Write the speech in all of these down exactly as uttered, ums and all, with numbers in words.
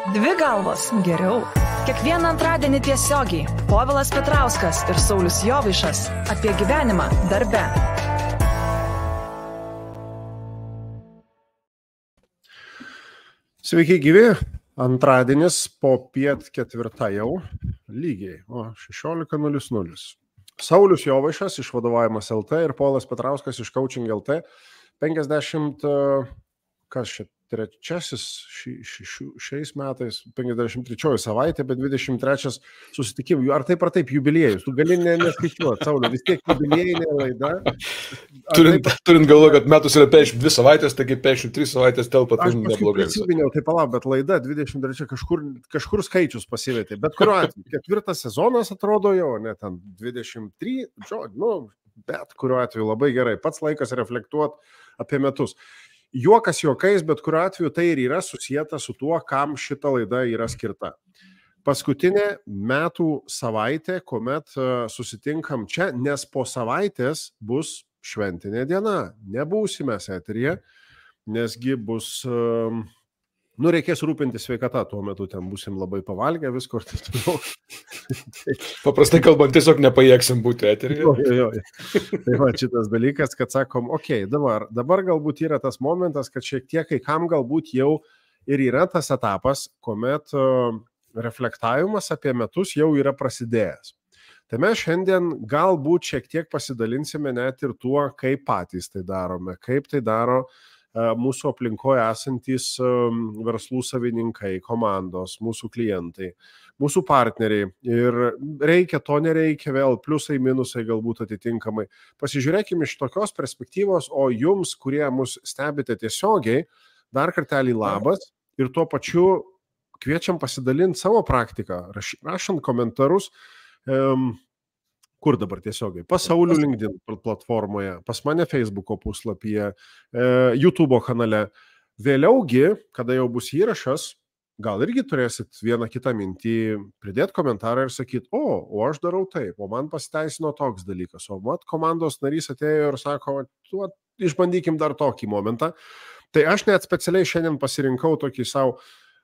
Dvi galvos geriau. Kiekvieną antradienį tiesiogiai Povilas Petrauskas ir Saulius Jovaišas apie gyvenimą darbe. Sveiki gyvi, antradienis po piet ketvirtą jau, lygiai, o šešiolika nulis nulis. Saulius Jovaišas iš Vadovavimas L T ir Povilas Petrauskas iš Coaching L T. penkiasdešimt, kas čia, trečiasis ši, ši, ši, šiais metais, penkiasdešimt trečioji savaitė, bet dvidešimt trečias susitikimų. Ar taip ar taip jubiliejus? Tu gali ne, neskaičiuoti, Sauliu, vis tiek jubiliejinė laida. Turint, taip... turint galvo, kad metus yra penkiasdešimt dvi savaitės, taigi penkiasdešimt trys savaitės telpa, tai neblogai. Aš prisiminiau, tai palauk, bet laida dvidešimt trečia kažkur, kažkur skaičius pasivietė. Bet kuriuo atveju, ketvirtas sezonas atrodo jau, ne ten dvidešimt trys, nu, bet kuriuo atveju labai gerai. Pats laikas reflektuoti apie metus. Juokas juokais, bet kuriuo atveju tai ir yra susijęta su tuo, kam šita laida yra skirta. Paskutinė metų savaitė, kuomet susitinkam čia, nes po savaitės bus šventinė diena. Nebūsime eteryje, nesgi bus, nu, reikės rūpinti sveikata, tuo metu ten būsim labai pavalgę visko. Paprastai kalbant, tiesiog nepajėgsim būti eteryje. Jo, jo, jo. Tai va šitas dalykas, kad sakom, okei, okay, dabar, dabar galbūt yra tas momentas, kad šiek tiek kai kam galbūt jau ir yra tas etapas, kuomet uh, reflektavimas apie metus jau yra prasidėjęs. Tai mes šiandien galbūt šiek tiek pasidalinsime net ir tuo, kaip patys tai darome, kaip tai daro uh, mūsų aplinkoje esantys um, verslų savininkai, komandos, mūsų klientai, mūsų partneriai. Ir reikia, to nereikia, vėl pliusai, minusai galbūt atitinkamai. Pasižiūrėkime iš tokios perspektyvos, o jums, kurie mus stebite tiesiogiai, dar kartelį labas ir tuo pačiu kviečiam pasidalinti savo praktiką, raš, rašant komentarus, um, kur dabar tiesiogiai, pas Saulių LinkedIn platformoje, pas mane Facebooko puslapyje, e, YouTube kanale. Vėliaugi, kada jau bus įrašas, gal irgi turėsit vieną kitą mintį, pridėti komentarą ir sakyti, o, o aš darau taip, o man pasiteisino toks dalykas, o mat komandos narys atėjo ir sako, tu išbandykim dar tokį momentą. Tai aš net specialiai šiandien pasirinkau tokį savo,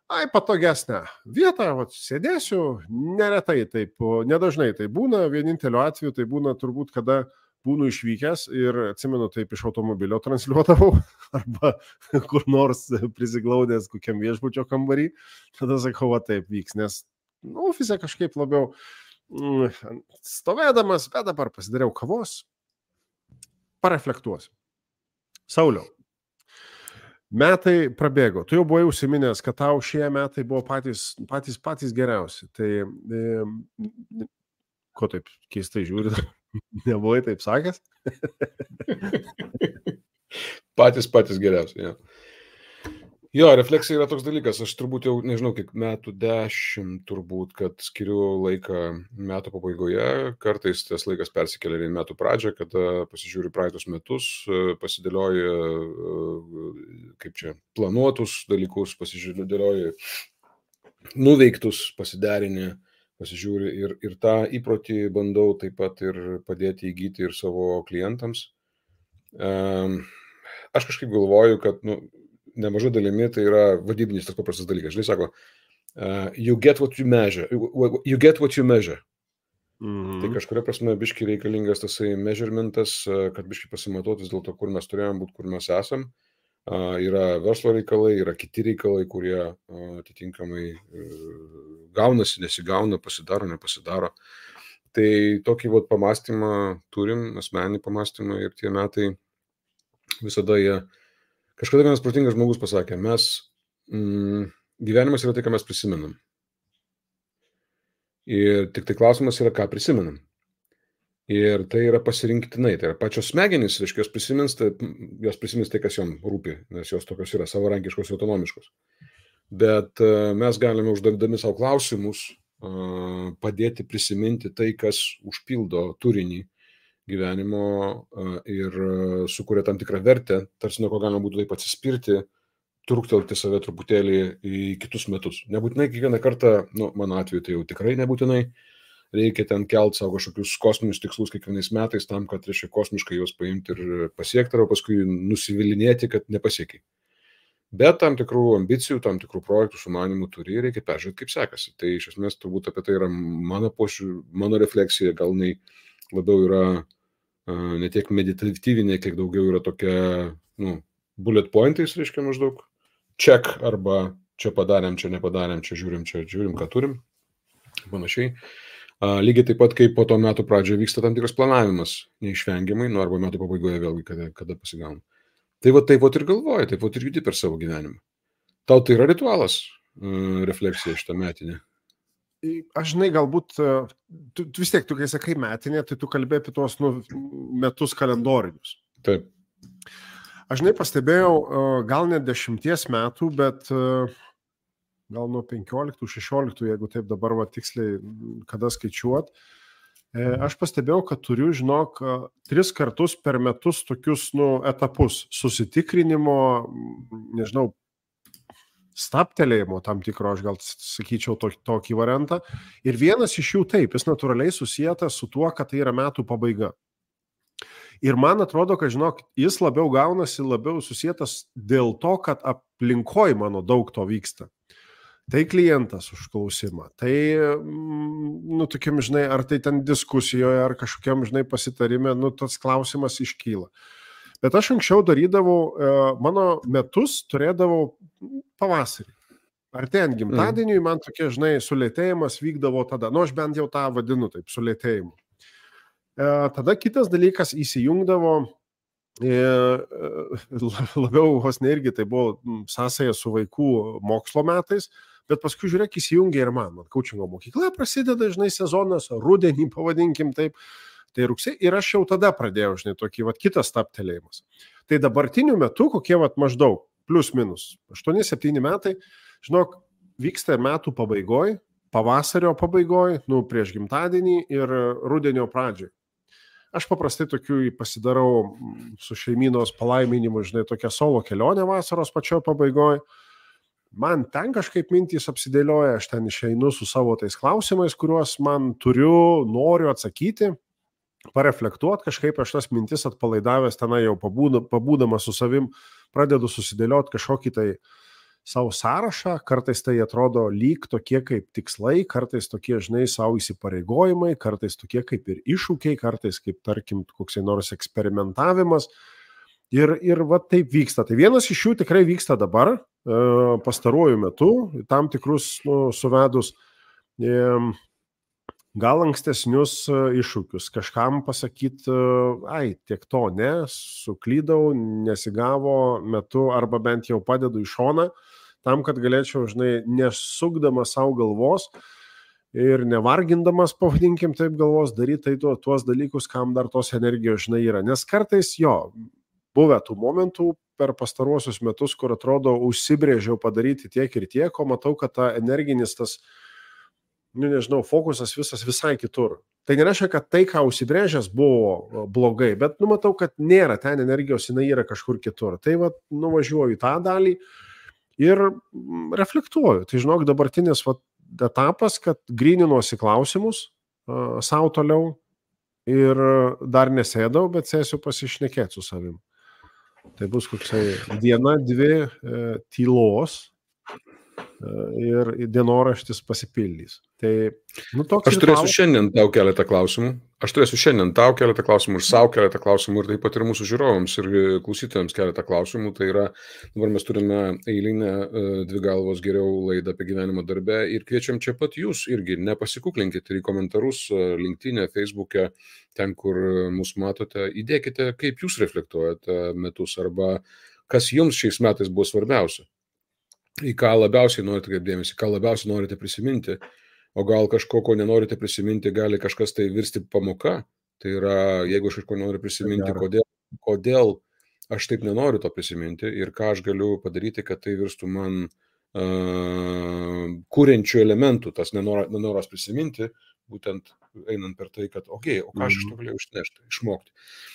ai, patogesnę vietą, vat, sėdėsiu, neretai taip, nedažnai tai būna, vieninteliu atveju tai būna turbūt, kada būnu išvykęs ir atsimenu taip iš automobilio transliuodavau arba kur nors prisiglaudęs kokiam viešbučio kambarį, tada sakau, va taip vyks, nes nu, ofise kažkaip labiau mm, stovėdamas, bet dabar pasidariau kavos, pareflektuosiu. Sauliau, metai prabėgo, tu jau buvai užsiminęs, kad tau šie metai buvo patys, patys, patys geriausi, tai e, ko taip keistai žiūri? Nebuvai taip sakęs? patys, patys geriausiai, jo. Jo, refleksija yra toks dalykas, aš turbūt jau, nežinau, kiek metų dešimt turbūt, kad skiriu laiką metų pabaigoje, kartais tas laikas persikelia į metų pradžią, kada pasižiūri praeitus metus, pasidėlioji, kaip čia, planuotus dalykus, pasidėlioji nuveiktus, pasiderini, pasižiūri ir, ir tą įprotį bandau taip pat ir padėti įgyti ir savo klientams. Um, aš kažkaip galvoju, kad nu, nemažai dalimi tai yra vadybinis tas paprastas dalykas. Žinai, sako, uh, you get what you measure. You get what you measure. Mm-hmm. Tai kažkuria prasme biški reikalingas tasai measurementas, kad biški pasimatuotis dėl to, kur mes turėjom būti, kur mes esam. Uh, yra verslo reikalai, yra kiti reikalai, kurie uh, atitinkamai uh, gaunasi, nesigauna, pasidaro, nepasidaro. Tai tokį vat pamastymą turim, asmeninį pamastymą ir tie metai visada jie. Kažkada vienas protingas žmogus pasakė, mes, mm, gyvenimas yra tai, ką mes prisimenam. Ir tik tai klausimas yra, ką prisimenam. Ir tai yra pasirinktinai, tai yra pačios smegenys, reiškia, jos prisimins, tai, jos prisimins tai, kas jom rūpi, nes jos tokios yra savarankiškos, autonomiškos. Bet uh, mes galime uždavdami savo klausimus uh, padėti prisiminti tai, kas užpildo turinį gyvenimo uh, ir uh, sukuria tam tikrą vertę, tarsi nuo ko galima būtų taip atsispirti, truktelti save truputėlį į kitus metus. Nebūtinai kiekvieną kartą, nu, mano atveju tai jau tikrai nebūtinai, reikia ten kelt savo kažkokius kosminius tikslus kiekvienais metais tam, kad reiškia kosmiškai juos paimti ir pasiekti, arba paskui nusivilinėti, kad nepasiekiai. bet tam tikrų ambicijų, tam tikrų projektų sumanimų turi ir reikia peržiūrėti, kaip sekasi. Tai iš esmės turbūt apie tai yra mano pošiūrė, mano refleksija, gal jinai labiau yra uh, ne tiek meditatyvinė, kiek daugiau yra tokia, nu, bullet pointais, reiškia maždaug check arba čia padarėm, čia nepadarėm, čia žiūrim, čia žiūrim, ką turim, panašiai. Uh, lygiai taip pat, kaip po to metų pradžioje vyksta tam tikras planavimas, neišvengiamai, nu arba metų pabaigoje vėlgi, kada, kada pasigauna. Tai va taip ir galvoji, taip ir judi per savo gyvenimą. Tau tai yra ritualas, uh, refleksija šitą metinę? Aš žinai, galbūt, tu, tu vis tiek, tu kai sakai metinė, tai tu kalbėjai apie tuos nu, metus kalendorinius. Taip. Aš žinai pastebėjau, gal ne dešimties metų, bet gal nuo penkioliktų, šešioliktų, jeigu taip dabar va, tiksliai, kada skaičiuot, aš pastebėjau, kad turiu, žinok, tris kartus per metus tokius nu, etapus susitikrinimo, nežinau, staptelėjimo tam tikro, aš gal sakyčiau tokį, tokį variantą. Ir vienas iš jų taip, jis natūraliai susijęs su tuo, kad tai yra metų pabaiga. Ir man atrodo, kad, žinok, jis labiau gaunasi, labiau susietas dėl to, kad aplinkoj mano daug to vyksta. Tai klientas užklausimą, tai, nu, tokiam, žinai, ar tai ten diskusijoje, ar kažkokiam, žinai, pasitarime, nu, tas klausimas iškyla. Bet aš anksčiau darydavau, mano metus turėdavau pavasarį. Artėjant gimtadieniui, man tokie, žinai, sulėtėjimas vykdavo tada. Nu, aš bent jau tą vadinu taip, sulėtėjimu. Tada kitas dalykas įsijungdavo, labiau vos ne irgi tai buvo sąsaja su vaikų mokslo metais, bet paskui žiūrėk įsijungia ir man. Man kaučingo mokykla prasideda, žinai, sezonas, rudenį pavadinkim taip, tai rugsėjį ir aš jau tada pradėjau, žinai, tokį vat, kitas staptelėjimas. Tai dabartiniu metu, kokie vat, maždaug, plus minus, aštuoni septyni metai, žinok, vyksta metų pabaigoj, pavasario pabaigoj, nu, prieš gimtadienį ir rudenio pradžioj. Aš paprastai tokių pasidarau su šeimynos palaiminimu, žinai, tokią solo kelionę vasaros pačio pabaigoj. Man ten kažkaip mintys apsidėlioja, aš ten išeinu su savo tais klausimais, kuriuos man turiu, noriu atsakyti, pareflektuoti, kažkaip aš tas mintis atpalaidavęs tenai jau pabūdamas su savim, pradedu susidėlioti kažkokį tai savo sąrašą, kartais tai atrodo lyg tokie kaip tikslai, kartais tokie, žinai, savo įsipareigojimai, kartais tokie kaip ir iššūkiai, kartais kaip, tarkim, koks nors eksperimentavimas. Ir, ir va taip vyksta. Tai vienas iš jų tikrai vyksta dabar, pastaruoju metu, tam tikrus nu, suvedus gal ankstesnius iššūkius. Kažkam pasakyti, ai, tiek to, ne, suklydau, nesigavo metu, arba bent jau padedu į šoną, tam, kad galėčiau, žinai, nesukdamas savo galvos ir nevargindamas, pavadinkim taip galvos, daryti tai tuo, tuos dalykus, kam dar tos energijos, žinai, yra. Nes kartais jo, buvę tų momentų per pastaruosius metus, kur atrodo, užsibrėžiau padaryti tiek ir tiek, o matau, kad ta energinis tas, nu, nežinau, fokusas visas visai kitur. Tai nereiškia, kad tai, ką užsibrėžęs, buvo blogai, bet nu, matau, kad nėra ten energijos, jinai yra kažkur kitur. Tai va, nuvažiuoju į tą dalį ir reflektuoju. Tai žinok, dabartinis va, etapas, kad gryninuosi klausimus uh, savo toliau ir dar nesėdau, bet sėsiu pasišnekėti su savim. Tai bus koksai diena, dvi uh, tylos ir dienoraštis pasipildys. Tai, nu, toks aš turėsiu šiandien tau keletą klausimų. Aš turėsiu šiandien tau keletą klausimų ir savo keletą klausimų ir taip pat ir mūsų žiūrovams ir klausytojams keletą klausimų. Tai yra, dabar mes turime eilinę dvi galvos geriau laidą apie gyvenimą darbe ir kviečiam čia pat jūs irgi nepasikuklinkite ir į komentarus LinkedIn'e, Facebook'e, ten, kur mus matote, įdėkite, kaip jūs reflektuojate metus arba kas jums šiais metais buvo svarbiausia. Į ką labiausiai norite kaip dėmesį, ką labiausiai norite prisiminti, o gal kažko, ko nenorite prisiminti, gali kažkas tai virsti pamoka. Tai yra, jeigu aš kažko noriu prisiminti, kodėl, kodėl aš taip nenoriu to prisiminti ir ką aš galiu padaryti, kad tai virstų man uh, kuriančių elementų, tas nenor, nenoras prisiminti, būtent einant per tai, kad, okei, okay, o ką aš iš to galėjau išnešti, išmokti.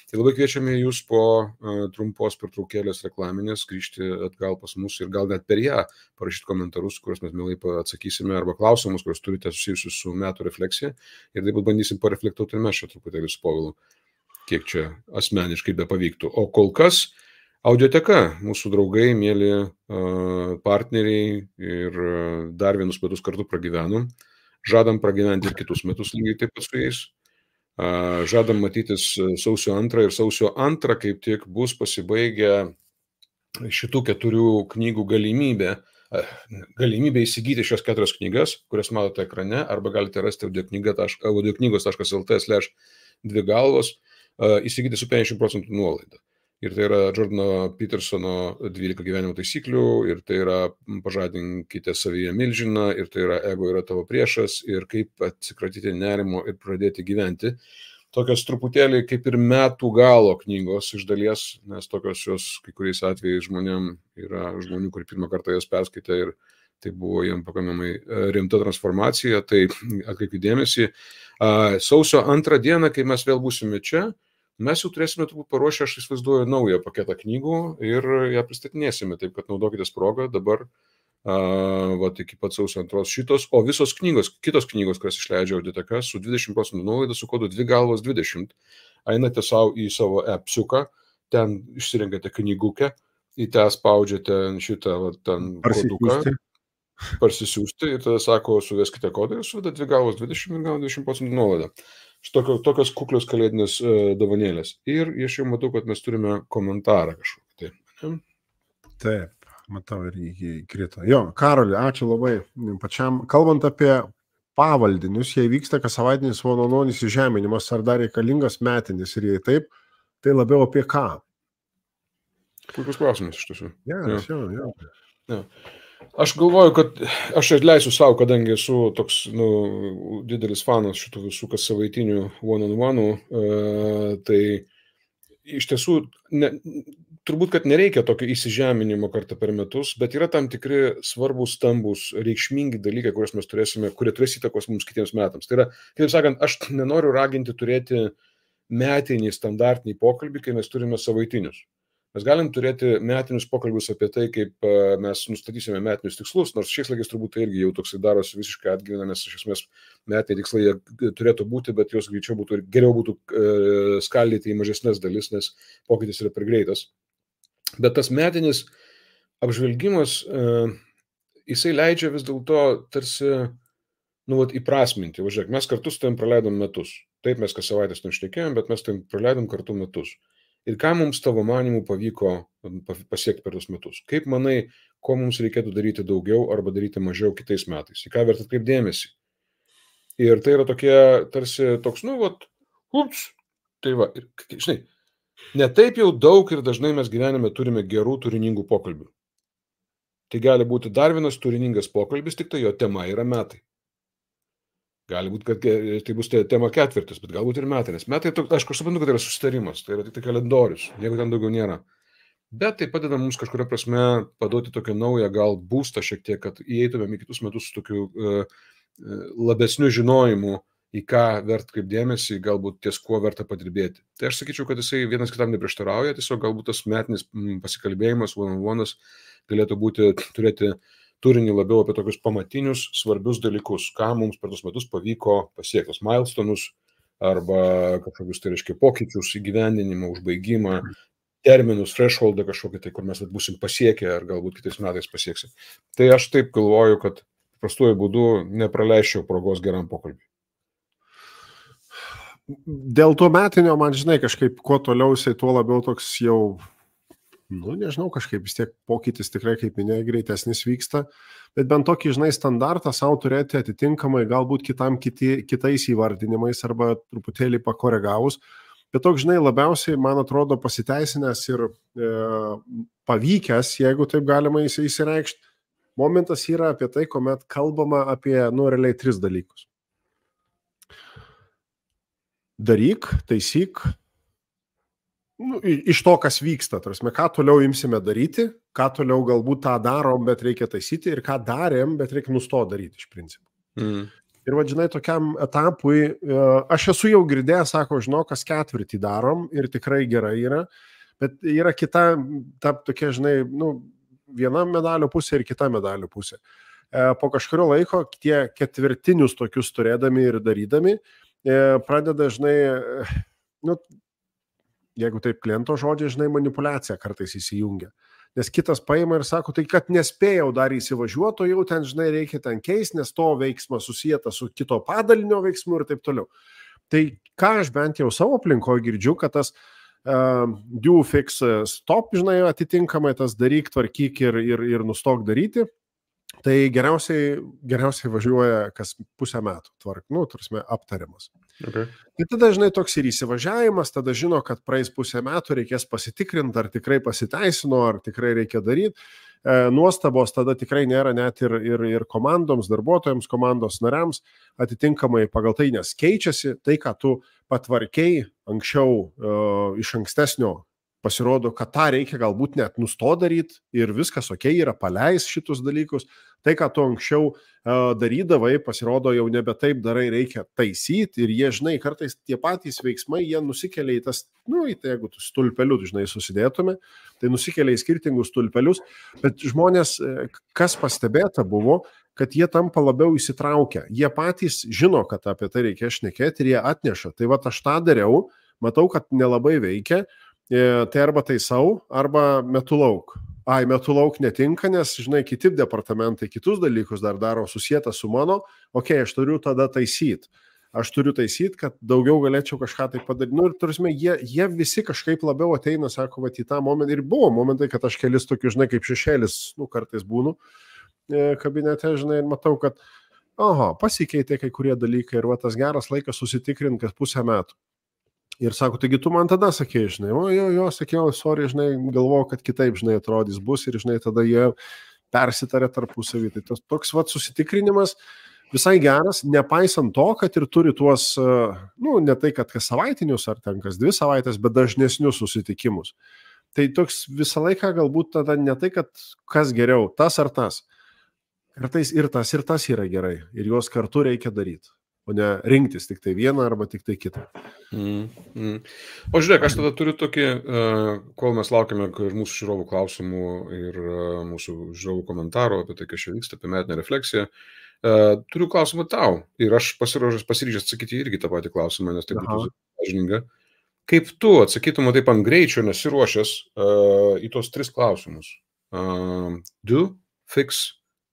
Tai labai kviečiame jūs po uh, trumpos pertraukėlės reklaminės grįžti atgal pas mus ir gal net per ją parašyti komentarus, kuriuos mes mielai atsakysime, arba klausimus, kuriuos turite susijusius su metų refleksija. Ir taip pat bandysim pareflektuoti ir mes čia truputėlį su Povilu, kiek čia asmeniškai be pavyktų. O kol kas Audioteka, mūsų draugai, mėly partneriai ir dar vienus metus kartu pragyvenom. Žadam pragyventi ir kitus metus lygiai taip pat su jais. Žadam matytis sausio antrą ir sausio antrą kaip tik bus pasibaigę šitų keturių knygų galimybė, galimybė įsigyti šios keturias knygas, kurias matote ekrane, arba galite rasti audioknygos taškas el tė slash dvi galvos, įsigyti su penkiasdešimt procentų nuolaida. Ir tai yra Jordano Petersono dvylika gyvenimo taisyklių, ir tai yra pažadinkite savyje milžiną, ir tai yra ego yra tavo priešas, ir kaip atsikratyti nerimo ir pradėti gyventi. Tokios truputėlį kaip ir metų galo knygos iš dalies, nes tokios jos kai kuriais atvejais žmonėm yra žmonių, kurie pirmą kartą jas perskaitė ir tai buvo jiems pakankamai rimta transformacija. Tai atkreipkite dėmesį, sausio antrą dieną, kai mes vėl būsime čia, mes jau turėsime turbūt paruošę, aš įsivaizduoju, naują paketą knygų ir ją pristatinėsime, taip kad naudokitės progą dabar, uh, vat, iki pat sausio antros šitos, o visos knygos, kitos knygos, kurias išleidžia Audioteka, su dvidešimt procentų nuolaida, su kodu dvi galvos dvidešimt, einate savo į savo appsiuką, ten išsirenkate knygukę, į tą spaudžiate šitą vat, ten koduką, parsisiųsti ir tada sako, suveskite kodą ir suveda dvi galvos dvidešimt ir gauna dvidešimt procentų nuolaidą. Šitokio, tokios kuklios kalėdinės uh, dovanėlės. Ir aš jau matau, kad mes turime komentarą kažkokį. Taip, Taip matau ir įkrito. Jo, Karoli, ačiū labai pačiam. Kalbant apie pavaldinius, jei vyksta kas savaitinis valandonis įžeminimas, ar dar reikalingas metinis, ir jei taip, tai labiau apie ką? Puikus klausimas iš tiesų. Geras, jo, jo. jo. Aš galvoju, kad aš atleisiu savo, kadangi esu toks nu, didelis fanas šitų visų kas savaitinių one-on-one, uh, tai iš tiesų ne, turbūt, kad nereikia tokio įsižeminimo kartą per metus, bet yra tam tikri svarbus, stambus, reikšmingi dalykai, kuriuos mes turėsime, kurie turės įtakos mums kitiems metams. Tai yra, kaip sakant, aš nenoriu raginti turėti metinį standartinį pokalbį, kai mes turime savaitinius. Mes galim turėti metinius pokalbius apie tai, kaip mes nustatysime metinius tikslus, nors šiais laikais turbūt tai irgi jau toksai darosi visiškai atgyvena, nes iš esmės metiniai tikslai jie turėtų būti, bet jos greičiau būtų ir geriau būtų e, skaldyti į mažesnes dalis, nes pokytis yra per greitas. Bet tas metinis apžvelgimas, e, jisai leidžia vis dėlto tarsi nu, vat, įprasminti. Važiuok, mes kartu su tavim praleidom metus. Taip, mes kas savaitės nešnekėjom, bet mes tavim praleidom kartu metus. Ir ką mums tavo manimų pavyko pasiekti per tos metus? Kaip manai, ko mums reikėtų daryti daugiau arba daryti mažiau kitais metais? Į ką verta atkreipti dėmesį? Ir tai yra tokie, tarsi toks, nu, vat, ups, tai va, ir, žinai, ne taip jau daug ir dažnai mes gyvenime turime gerų turiningų pokalbių. Tai gali būti dar vienas turiningas pokalbis, tik tai jo tema yra metai. Gali būti, kad tai bus tema ketvirtis, bet galbūt ir metai. Nes metai, aišku, aš suprantu, kad tai yra susitarimas, tai yra tik tai kalendorius, jeigu ten daugiau nėra. Bet tai padeda mums kažkuria prasme paduoti tokią naują gal būstą šiek tiek, kad įeitumėm į kitus metus su tokiu uh, labesniu žinojimu, į ką vert kaip dėmesį, galbūt ties kuo verta padirbėti. Tai aš sakyčiau, kad jisai vienas kitam neprieštarauja, tiesiog galbūt tas metinis pasikalbėjimas, one-on-one'as galėtų būti, turėti turinį labiau apie tokius pamatinius, svarbius dalykus, ką mums per tos metus pavyko pasiekti, milestone'us arba kažkokius, tai reiškia, pokyčius, įgyvendinimą, užbaigimą, terminus, thresholdą kažkokį, tai kur mes būsim pasiekę ar galbūt kitais metais pasieksim. Tai aš taip galvoju, kad paprastuoju būdu nepraleisčiau progos geram pokalbiui. Dėl to metinio, man žinai, kažkaip kuo toliau jisai, tuo labiau toks jau nu, nežinau, kažkaip vis tiek pokytis tikrai, kaip minėjai, greitesnis vyksta, bet bent tokį, žinai, standartą savo turėti atitinkamai, galbūt kitam kiti, kitais įvardinimais arba truputėlį pakoregavus, bet toks, žinai, labiausiai, man atrodo, pasiteisinęs ir e, pavykęs, jeigu taip galima įsireikšti, momentas yra apie tai, kuomet kalbama apie, nu, realiai tris dalykus. Daryk, taisyk, nu, iš to, kas vyksta, tarsi, ką toliau imsime daryti, ką toliau galbūt tą darom, bet reikia taisyti ir ką darėm, bet reikia nustoti daryti iš principo. Mm. Ir vadžinai, tokiam etapui, aš esu jau girdėjęs, sako, žinau, kas ketvirtį darom ir tikrai gerai yra, bet yra kita, ta tokia, žinai, nu, viena medalio pusė ir kita medalio pusė. Po kažkurio laiko tie ketvirtinius tokius turėdami ir darydami, pradeda, žinai, nu, jeigu taip kliento žodžiai, žinai, manipulacija kartais įsijungia. Nes kitas paima ir sako, tai kad nespėjau dar įsivažiuoti, o jau ten, žinai, reikia ten keisti, nes to veiksmas susijęta su kito padalinio veiksmu ir taip toliau. Tai ką aš bent jau savo aplinkoje girdžiu, kad tas uh, do, fix, stop, žinai, atitinkamai tas daryk, tvarkyk ir, ir, ir nustok daryti, tai geriausiai, geriausiai važiuoja kas pusę metų, tvark, nu, tarsi aptariamas. Okay. Ir tada, žinai, toks ir įsivažiavimas, tada žino, kad praeis pusę metų, reikės pasitikrinti, ar tikrai pasiteisino, ar tikrai reikia daryti. E, nuostabos tada tikrai nėra net ir, ir, ir komandoms, darbuotojams, komandos nariams, atitinkamai pagal tai, nes keičiasi tai, ką tu patvarkiai anksčiau e, iš ankstesnio, pasirodo, kad tą reikia galbūt net nusto daryti ir viskas ok, yra paleis šitus dalykus. Tai, ką tu anksčiau uh, darydavai, pasirodo, jau nebe taip darai, reikia taisyti ir jie, žinai, kartais tie patys veiksmai, jie nusikelia į tas, nu, į tai, jeigu tu stulpelius, žinai, susidėtume, tai nusikelia į skirtingus stulpelius, bet žmonės, kas pastebėta buvo, kad jie tampa labiau įsitraukę. Jie patys žino, kad apie tai reikia šnekėti ir jie atneša. Tai va, aš tą dariau, matau, kad nelabai veikia. Tai arba taisau, arba metu lauk. Ai, metu lauk netinka, nes, žinai, kiti departamentai kitus dalykus dar daro susijęta su mano, okei, okay, aš turiu tada taisyti. Aš turiu taisyti, kad daugiau galėčiau kažką tai padaryti. Nu, ir turime, jie, jie visi kažkaip labiau ateina, sako, va, į tą momentą. Ir buvo momentai, kad aš kelis tokius, žinai, kaip šešėlis, nu, kartais būnu kabinete, žinai, ir matau, kad, oho, pasikeitė kai kurie dalykai ir va, tas geras laikas susitikrinti, kad pusę metų. Ir sako, taigi tu man tada sakei, žinai, o jo, jo, sakiau, sorry, žinai, galvoju, kad kitaip, žinai, atrodys bus ir, žinai, tada jie persitarė tarpusavį. Tai tas toks, vat, susitikrinimas visai geras, nepaisant to, kad ir turi tuos, nu, ne tai, kad kas savaitinius ar ten kas dvi savaitės, bet dažnesnius susitikimus. Tai toks visą laiką galbūt tada ne tai, kad kas geriau, tas ar tas. Kartais ir tas, ir tas yra gerai. Ir juos kartu reikia daryti. O ne rinktis tik tai vieną arba tik tai kitą. Mm, mm. O žiūrėk, aš tada turiu tokį, uh, kol mes laukiame mūsų žiūrovų klausimų ir uh, mūsų žiūrovų komentarų apie tai, kas čia vyksta, apie metinę refleksiją, uh, turiu klausimą tau. Ir aš pasiruošęs pasiryžęs atsakyti irgi tą patį klausimą, nes tai būtų sąžininga. Kaip tu atsakytum taip ant greičio, nesiruošęs uh, į tos tris klausimus? Uh, do, fix,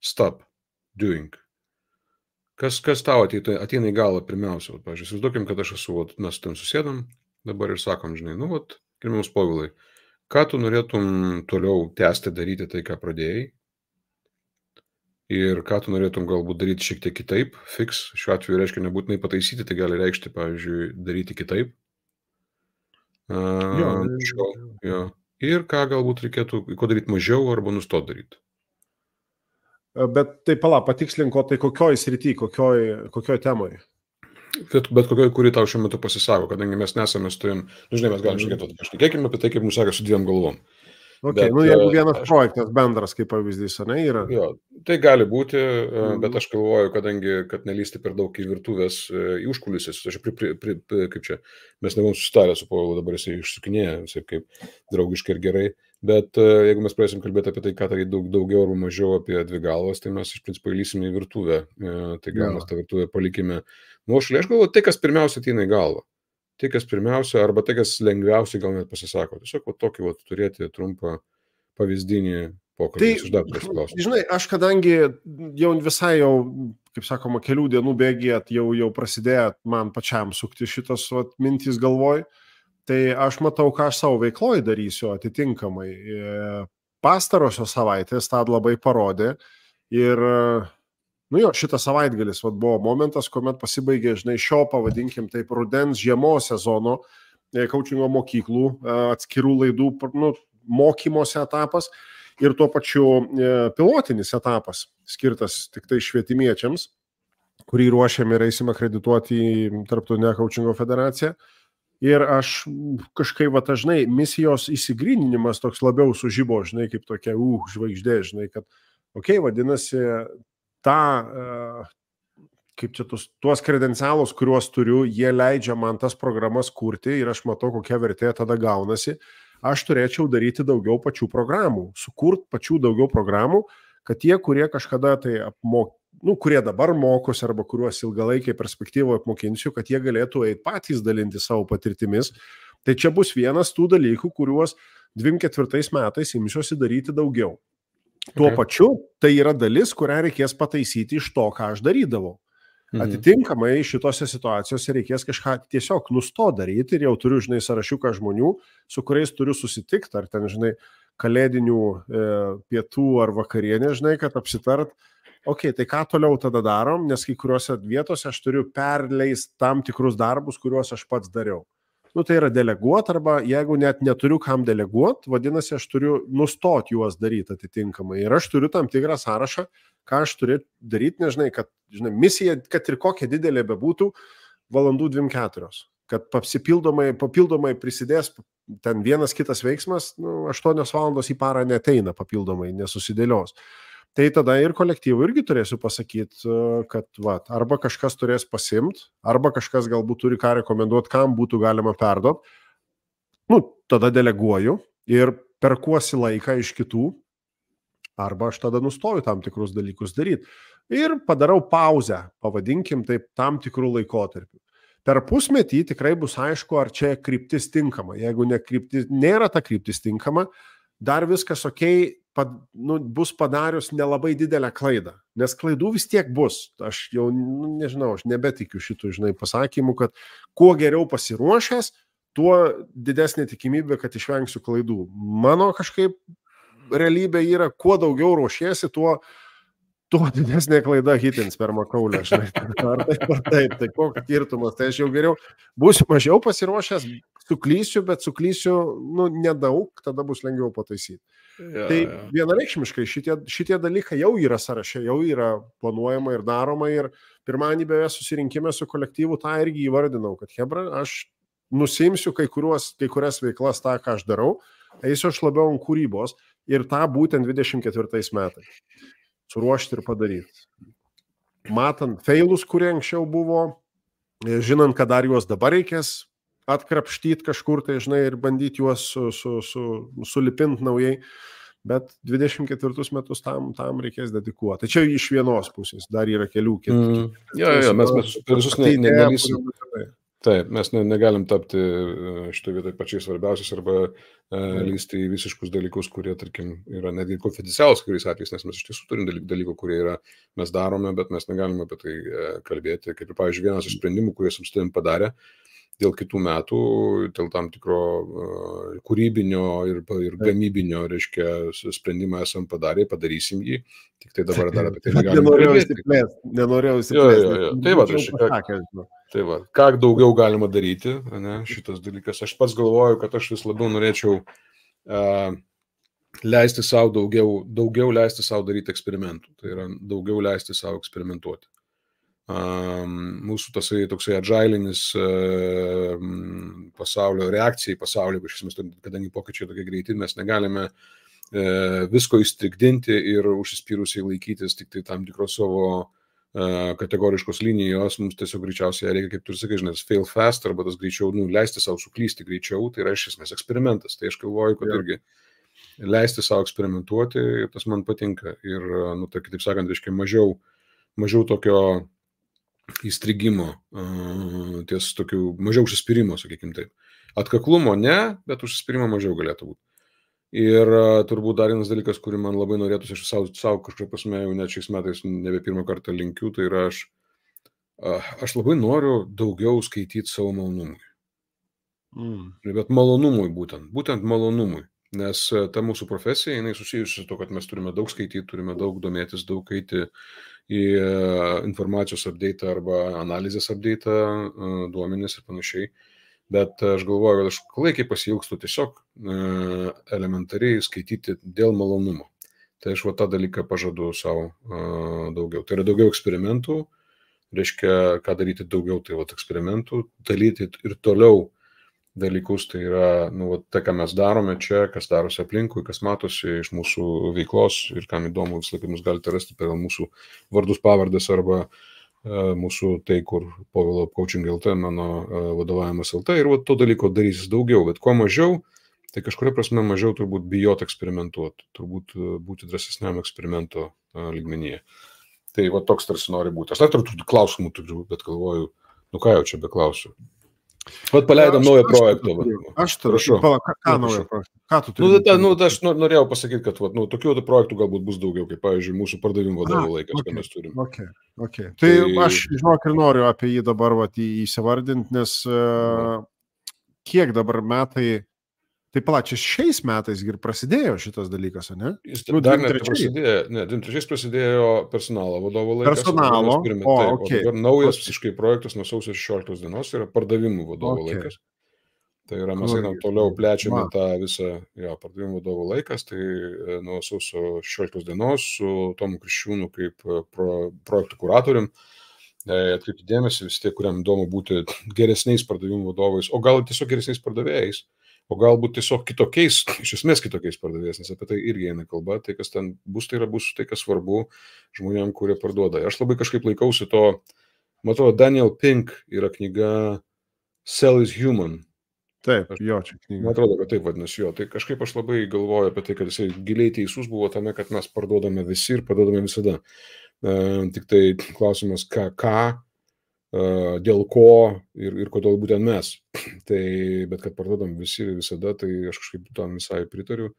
stop, doing. Kas, kas tau ateina, ateina į galą pirmiausia? Pavyzdžiui, įsivaizduokim, kad aš esu, vat, mes ten susėdam dabar ir sakom, žinai, nu, vat, gerbiamas Povilai, ką tu norėtum toliau tęsti daryti tai, ką pradėjai? Ir ką tu norėtum galbūt daryti šiek tiek kitaip? Fix, šiuo atveju reiškia nebūtinai pataisyti, tai gali reikšti, pavyzdžiui, daryti kitaip. Uh, jo, šio, jo. Ir ką galbūt reikėtų, ko daryti mažiau arba nustoti daryti? Bet tai pala, patikslinko, tai kokioj srity, kokioj, kokioj temoj? Bet, bet kokioj, kuri tau šiuo metu pasisako, kadangi mes nesame su tavim, nu, žinai, mes galim šnekėti, pašnekėkime apie tai, kaip mums seka su dviem galvom. Okay, bet, nu, jeigu vienas aš, projektas bendras, kaip pavyzdys, ne, yra? Jo, tai gali būti, mm. bet aš galvoju, kadangi, kad nelysti per daug į virtuvės, į užkulisės, aš pri, pri, pri, kaip čia, mes nebuvom susitarę su Povilu, dabar jisai išsukinėja, visai kaip draugiškai ir gerai, bet jeigu mes pradėsim kalbėti apie tai, ką tai daug, daugiau ar mažiau apie dvi galvas, tai mes iš principo įlysime į virtuvę, tai gal mes tą virtuvę palikime nuošalį. Aš galvoju, tai, kas pirmiausia ateina į galvą. Tai, kas pirmiausia, arba tai, kas lengviausiai gal net pasisako. Tiesiog va, tokį va, turėti trumpą pavyzdinį pokalbį. Tai, žinai, aš kadangi jau visai jau, kaip sakoma, kelių dienų bėgėt, jau, jau prasidėjo man pačiam sukti šitas va, mintys galvoj, tai aš matau, ką aš savo veikloj darysiu atitinkamai. Pastarosios savaitės tą labai parodė ir nu jo, šitas savaitgalis vat, buvo momentas, kuomet pasibaigė, žinai, šio, pavadinkim taip, rudens žiemos sezono coachingo mokyklų, atskirų laidų nu, mokymosi etapas ir tuo pačiu pilotinis etapas, skirtas tik tai švietimiečiams, kurį ruošiam ir eisim akredituoti į Tarptautinę coachingo federaciją. Ir aš kažkaip, va, žinai, misijos įsigryninimas toks labiau sužibo, žinai, kaip tokia, uh, žvaigždė, žinai, kad, okei, okay, vadinasi, tą, kaip čia tus, tuos kredencialus, kuriuos turiu, jie leidžia man tas programas kurti ir aš matau, kokia vertė tada gaunasi. Aš turėčiau daryti daugiau pačių programų, sukurt pačių daugiau programų, kad tie, kurie kažkada tai apmok, nu, kurie dabar mokosi arba kuriuos ilgalaikiai perspektyvoje apmokinsiu, kad jie galėtų eiti patys dalinti savo patirtimis Tai čia bus vienas tų dalykų, kuriuos dvidešimt ketvirtais metais imsiuosi daryti daugiau. Tuo okay. pačiu tai yra dalis, kurią reikės pataisyti iš to, ką aš darydavau. Mhm. Atitinkamai šitose situacijose reikės kažką tiesiog nusto daryti ir jau turiu, žinai, sąrašiuką žmonių, su kuriais turiu susitikti, ar ten, žinai, kalėdinių e, pietų ar vakarienė, žinai, kad apsitart, okei, okay, tai ką toliau tada darom, nes kai kuriuose vietose aš turiu perleisti tam tikrus darbus, kuriuos aš pats dariau. Nu, tai yra deleguot, arba jeigu net neturiu kam deleguot, vadinasi, aš turiu nustot juos daryti atitinkamai. Ir aš turiu tam tikrą sąrašą, ką aš turiu daryti, nežinai, kad, žinai, misija, kad ir kokia didelė bebūtų, valandų dvidešimt keturios. Kad papildomai, papildomai prisidės ten vienas kitas veiksmas, nu, aštuonios valandos į parą neteina papildomai, nesusidėlios. Tai tada ir kolektyvui irgi turėsiu pasakyti, kad va, arba kažkas turės pasimt, arba kažkas galbūt turi ką rekomenduoti, kam būtų galima perduoti. Nu, tada deleguoju ir perkuosi laiką iš kitų, arba aš tada nustoju tam tikrus dalykus daryti. Ir padarau pauzę, pavadinkim taip, tam tikrų laikotarpių. Per pusmetį tikrai bus aišku, ar čia kryptis tinkama. Jeigu ne kryptis, nėra ta kryptis tinkama, dar viskas okei, pad, nu, bus padarius nelabai didelę klaidą. Nes klaidų vis tiek bus. Aš jau, nu, nežinau, aš nebetikiu šitų, žinai, pasakymų, kad kuo geriau pasiruošęs, tuo didesnė tikimybė, kad išvengsiu klaidų. Mano kažkaip realybė yra, kuo daugiau ruošiesi, tuo, tuo didesnė klaida hitins per makaulę. Žinai. Ar taip, ar taip, tai koks skirtumas. Tai aš jau geriau būsiu mažiau pasiruošęs, suklysiu, bet suklysiu, nu, nedaug, tada bus lengviau pataisyti. Ja, tai ja. Vienareikšmiškai šitie, šitie dalykai jau yra sąraše, jau yra planuojama ir daroma ir pirmąjį beje susirinkime su kolektyvu tą irgi įvardinau, kad hebra, aš nusimsiu kai, kuriuos, kai kurias veiklas tą, ką aš darau, eisiu aš labiau ant kūrybos ir tą būtent dvidešimt ketvirtais metais suruošti ir padaryti. Matant failus, kurie anksčiau buvo, žinant, kad dar juos dabar reikės atkrapštyti kažkur, tai žinai, ir bandyti juos su, su, su, sulipinti naujai, bet dvidešimt ketvirtus metus tam, tam reikės dedikuoti. Tai čia iš vienos pusės, dar yra kelių kitų. Mm. Jo, jo, mes, mes visus ne, ne, nelysim. Taip, mes ne, negalim tapti šitoje vietoje pačiais svarbiausiais arba e, lysti į visiškus dalykus, kurie, tarkim, yra netgi konfidencialūs kuriais atvejais, nes mes iš tiesų turim dalykų, kurie yra, mes darome, bet mes negalime apie tai e, kalbėti. Kaip ir, pavyzdžiui, vienas iš sprendimų, kuriuos su tavim padarė, dėl kitų metų, dėl tam tikro uh, kūrybinio ir, ir gamybinio, reiškia, sprendimą esam padarę, padarysim jį, tik tai dabar dar apie tai negalime kalbėti. Nenorėjau įsiplėsti. Tai va, reiškia, tai va, ką daugiau galima daryti, ne, šitas dalykas. Aš pats galvoju, kad aš vis labiau norėčiau uh, leisti savo daugiau, daugiau leisti savo daryti eksperimentų. Tai yra daugiau leisti savo eksperimentuoti. Um, mūsų tasai toksai adžailinis uh, pasaulio reakcija į pasaulį, kadangi pokyčiai tokie greiti, mes negalime uh, visko įstrigdinti ir užsispyrusiai laikytis tik tai tam tikros savo uh, kategoriškos linijos, mums tiesiog greičiausiai reikia, kaip tu ir sakai, žinai, fail fast, arba tas greičiau, nu, leisti savo suklysti greičiau, tai yra iš esmės eksperimentas, tai aš galvoju, kad irgi leisti savo eksperimentuoti, tas man patinka ir, nu, tai kitaip sakant, reiškia mažiau, mažiau tokio įstrigimo, ties tokių mažiau užsispyrimo, sakykim taip. Atkaklumo ne, bet užsispyrimo mažiau galėtų būti. Ir turbūt dar vienas dalykas, kurį man labai norėtųsi, aš savo, savo kažkaip pasme jau net šiais metais nebe pirmą kartą linkiu, tai yra aš, aš labai noriu daugiau skaityti savo malonumui. Mm. Bet malonumui būtent, būtent malonumui. Nes ta mūsų profesija, jinai susijusi su to, kad mes turime daug skaityti, turime daug domėtis, daug eiti į informacijos update arba analizės update, duomenis ir panašiai. Bet aš galvoju, kad aš klaikiai pasiilgstu tiesiog elementariai skaityti dėl malonumo. Tai aš va tą dalyką pažadu savo daugiau. Tai yra daugiau eksperimentų, reiškia, ką daryti daugiau, tai va eksperimentų, dalyti ir toliau dalykus, tai yra, nu, tai, ką mes darome čia, kas darosi aplinkui, kas matosi iš mūsų veiklos ir kam įdomu, visą laiką mus galite rasti per mūsų vardus, pavardės arba uh, mūsų tai, kur Povilo Coaching L T, mano uh, vadovavimas L T ir va, to dalyko darysis daugiau, bet kuo mažiau, tai kažkuria prasme mažiau turbūt bijot eksperimentuoti, turbūt uh, būti drąsesniam eksperimento uh, lygmenyje. Tai va toks tarsi nori būti. Aš dar turiu klausimų, turiu, bet galvoju, nu ką jau čia beklausiu. Vat paleidom naują projektą. Aš turiu. Pala, ką, ką naują projektą? Ką tu turi? Nu, ta, nu, aš norėjau pasakyti, kad vat, nu, tokių projektų galbūt bus daugiau, kaip, pavyzdžiui, mūsų pardavimų vadovo laikas, okay, ką mes turim. Okay, okay. Tai, tai aš, žinok, ir noriu apie jį dabar vat, įsivardinti, nes uh, kiek dabar metai, tai palačiai šiais metais ir prasidėjo šitas dalykas, ne? Jis nu, dar net prasidėjo, ne, dvim trečiais prasidėjo personalo vadovo laikas. Personalo, turime, o, taip, okay. O dabar naujas visiškai projektas nuo sausio šešioliktos dienos yra pardavimų vadovo okay. laikas. Tai yra, mes einam toliau, plečiame wow. tą visą jo, pardavimų vadovo laikas, tai nuo sausio šešioliktos dienos su Tomu Kriščiūnu kaip pro, projektų kuratorium. Atkreipti dėmesį vis tiek, kuriam įdomu būti geresniais pardavimų vadovais, o gal tiesiog geresniais pardavėjais. O galbūt tiesiog kitokiais, iš esmės kitokiais pardavėjais, nes apie tai irgi eina kalba, tai kas ten bus, tai yra bus tai, kas svarbu žmonėm, kurie parduoda. Aš labai kažkaip laikausi to, matau, Daniel Pink yra knyga Sell is Human. Taip, jo, čia knyga. Man atrodo, kad taip vadinasi jo. Tai kažkaip aš labai galvoju apie tai, kad jisai giliai teisus buvo tame, kad mes parduodame visi ir parduodame visada. Uh, tik tai klausimas, ką, ką dėl ko ir, ir kodėl būtent mes. Tai, bet kad parduodam visi visada, tai aš kažkaip tam visai pritariu.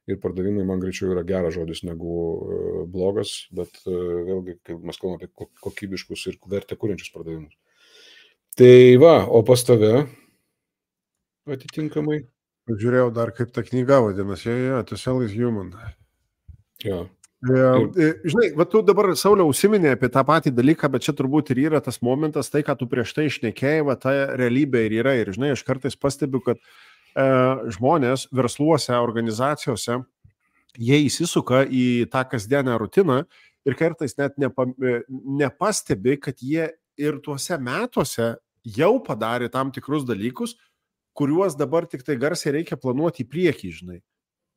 Ir pardavimai man greičiau yra geras žodis negu uh, blogas, bet uh, vėlgi, kai mes kalbame apie kokybiškus ir vertę kuriančius pardavimus. Tai va, o pas tave atitinkamai? Žiūrėjau dar, kaip ta knyga vadinasi, yeah, yeah, To Sell is Human. Jo. Ja, žinai, va tu dabar, Sauliau, užsiminė apie tą patį dalyką, bet čia turbūt ir yra tas momentas, tai, ką tu prieš tai išnekėjai, va ta realybė ir yra. Ir, žinai, aš kartais pastebiu, kad e, žmonės versluose, organizacijose, jie įsisuka į tą kasdienę rutiną ir kartais net nepa, nepastebi, kad jie ir tuose metuose jau padarė tam tikrus dalykus, kuriuos dabar tik tai garsiai reikia planuoti į priekį, žinai.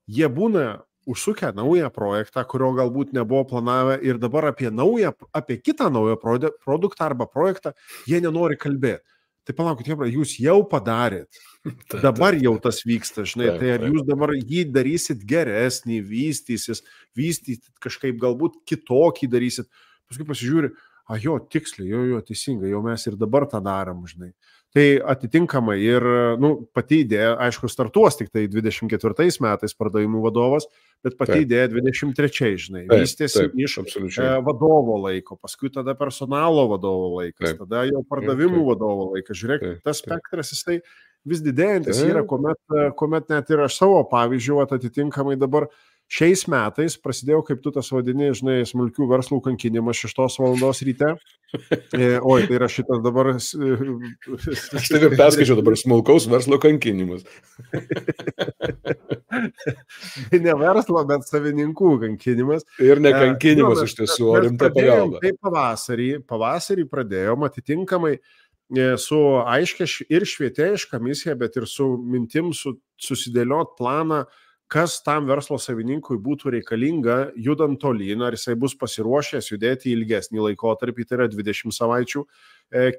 Jie būna užsukę naują projektą, kurio galbūt nebuvo planavę ir dabar apie naują, apie kitą naują produktą arba projektą jie nenori kalbėti. Tai palaukit, jūs jau padarėt. Dabar jau tas vyksta, žinai, tai ar jūs dabar jį darysit geresnį, vystysis, vystysit kažkaip galbūt kitokį darysit. Paskui pasižiūri, a jo, tiksliai, jo, jo, teisingai, jau mes ir dabar tą darom, žinai. Tai atitinkamai ir, nu, pati idėja, aišku, startuos tik tai dvidešimt ketvirtais metais pardavimų vadovas, bet pati taip. Idėja dvidešimt trečiais, žinai, taip, vystėsi taip, iš e, vadovo laiko, paskui tada personalo vadovo laikas, taip. Tada jau pardavimų taip. Vadovo laikas. Žiūrėk, taip, tas spektras jisai vis didėjantis taip. Yra, kuomet, kuomet net ir aš savo pavyzdžių atitinkamai dabar šiais metais prasidėjau, kaip tu tas vadini, žinai, smulkių verslų kankinimas šeštos valandos ryte. E, oi, tai yra šitas dabar... Aš taip ir perskaičiau dabar smulkaus verslo kankinimas. Ne verslo, bet savininkų kankinimas. Ir ne kankinimas e, iš tiesų, o rimta pagalba. Tai pavasarį, pavasarį pradėjom atitinkamai su aiškia ir švietėjiška misija, bet ir su mintim su, susidėliot planą, kas tam verslo savininkui būtų reikalinga, judant tolyn, ar jisai bus pasiruošęs judėti ilgesnį laikotarpį, tai yra dvidešimt savaičių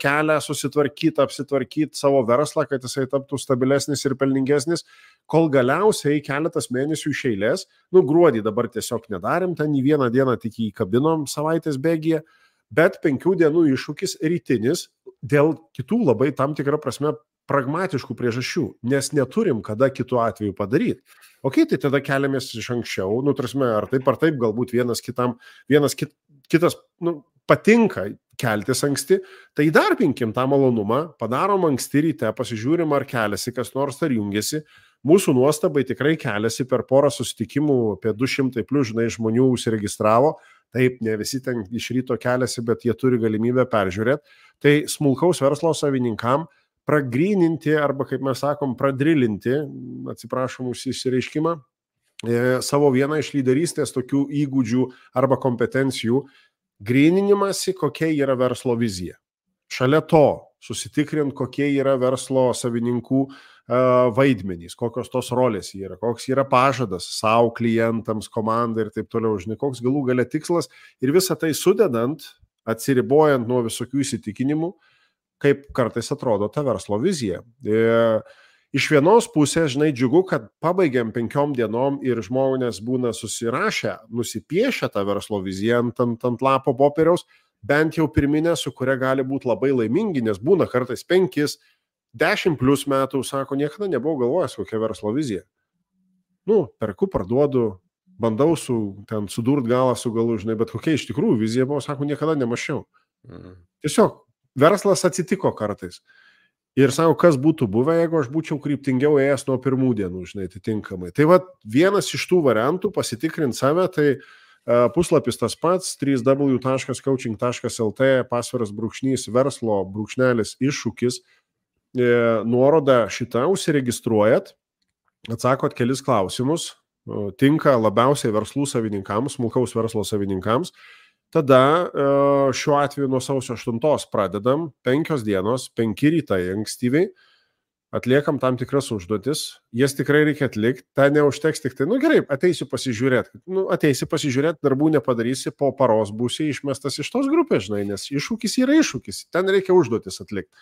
kelią, susitvarkyti, apsitvarkyti savo verslą, kad jisai taptų stabilesnis ir pelningesnis, kol galiausiai keletas mėnesių iš eilės, nu gruodį dabar tiesiog nedarėm, ten į vieną dieną tik įkabinom savaitės bėgyje, bet penkių dienų iššūkis rytinis dėl kitų labai tam tikrą prasme pragmatiškų priežasčių, nes neturim kada kitų atveju padaryti. Ok, tai tada keliamės iš anksčiau, nu, tarsi, ar taip ar taip, galbūt vienas kitam, vienas kit, kitas, nu, patinka keltis anksti, tai įdarbinkim tą malonumą, padarom anksti ryte, pasižiūrim, ar keliasi kas nors, ar jungiasi. Mūsų nuostabai tikrai keliasi per porą susitikimų, apie du šimtai plius, žinai, žmonių užsiregistravo, taip, ne visi ten iš ryto keliasi, bet jie turi galimybę peržiūrėti. Tai smulkaus verslo savininkam pragryninti arba, kaip mes sakom, pradrilinti, atsiprašom už išsireiškimą, e, savo vieną iš lyderystės tokių įgūdžių arba kompetencijų, gryninimasi, kokia yra verslo vizija. Šalia to susitikrint, kokie yra verslo savininkų e, vaidmenys, kokios tos rolės yra, koks yra pažadas savo klientams, komandai ir taip toliau, žinai, koks galų gale tikslas ir visą tai sudedant, atsiribojant nuo visokių įsitikinimų, kaip kartais atrodo ta verslo vizija. E, iš vienos pusės, žinai, džiugu, kad pabaigiam penkiom dienom ir žmonės būna susirašę, nusipiešę tą verslo viziją ant, ant, ant lapo popieriaus, bent jau pirminę, su kuria gali būti labai laimingi, nes būna kartais penkis, dešimt plus metų, sako, niekada nebuvau galvojęs, kokia verslo vizija. Nu, perku, parduodu, bandau su, ten sudurt galą su galu, žinai, bet kokia iš tikrųjų vizija buvo, sako, niekada nemačiau. Mhm. Tiesiog, verslas atsitiko kartais. Ir sako, kas būtų buvę, jeigu aš būčiau kryptingiau ėjęs nuo pirmų dienų, žinai, atitinkamai. Tai va, vienas iš tų variantų pasitikrinti save, tai uh, puslapis tas pats, w w w taškas coaching taškas l t, pasviras brūkšnys, verslo brūkšnelis iššūkis, e, nuoroda šitą, užsiregistruojat, atsakot kelis klausimus, tinka labiausiai verslų savininkams, smulkaus verslo savininkams. Tada šiuo atveju nuo sausio aštuntos pradedam, penkios dienos, penki rytai ankstyviai, atliekam tam tikras užduotis, jas tikrai reikia atlikti, ta neužteks tik tai, nu gerai, ateisiu pasižiūrėti, nu ateisi pasižiūrėti, darbų nepadarysi, po paros būsi išmestas iš tos grupės, žinai, nes iššūkis yra iššūkis, ten reikia užduotis atlikti.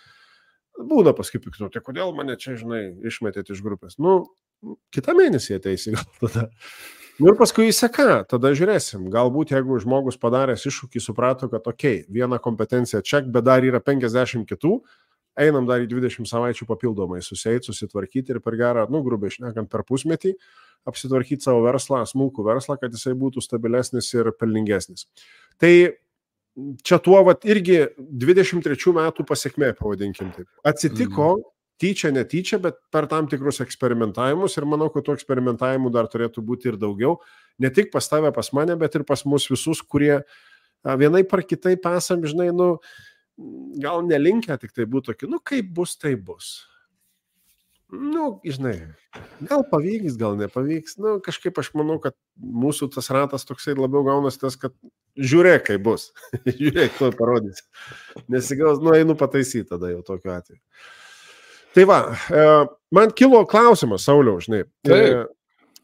Būna paskui piktų, tai kodėl mane čia, žinai, išmetėt iš grupės? Nu, kitą mėnesį ateisi gal tada. Nu ir paskui įseka, tada žiūrėsim. Galbūt jeigu žmogus padaręs iššūkį suprato, kad okei, okay, viena kompetencija ček, bet dar yra penkiasdešimt kitų, einam dar į dvidešimt savaičių papildomai suseit, susitvarkyti ir per gerą, nu grubiai šnekant, per pusmetį apsitvarkyti savo verslą, smulkų verslą, kad jisai būtų stabilesnis ir pelningesnis. Tai čia tuo vat irgi dvidešimt trečių metų pasiekmė, pavadinkim taip. Atsitiko, mm. tyčia, netyčia, bet per tam tikrus eksperimentavimus ir manau, kad tų eksperimentavimų dar turėtų būti ir daugiau. Ne tik pas tave, pas mane, bet ir pas mus visus, kurie vienai par kitaip esam, žinai, nu, gal nelinkę tik tai būtų tokie, nu, kaip bus, tai bus. Nu, žinai, gal pavyks, gal nepavyks. Nu, kažkaip aš manau, kad mūsų tas ratas toksai labiau gaunas tas, kad žiūrėk, kaip bus. Žiūrėk, tu parodys. Nesigaus, nu, einu pataisyti tada jau tokiu atveju. Tai va, man kilo klausimas, Sauliau, žinai. Tai.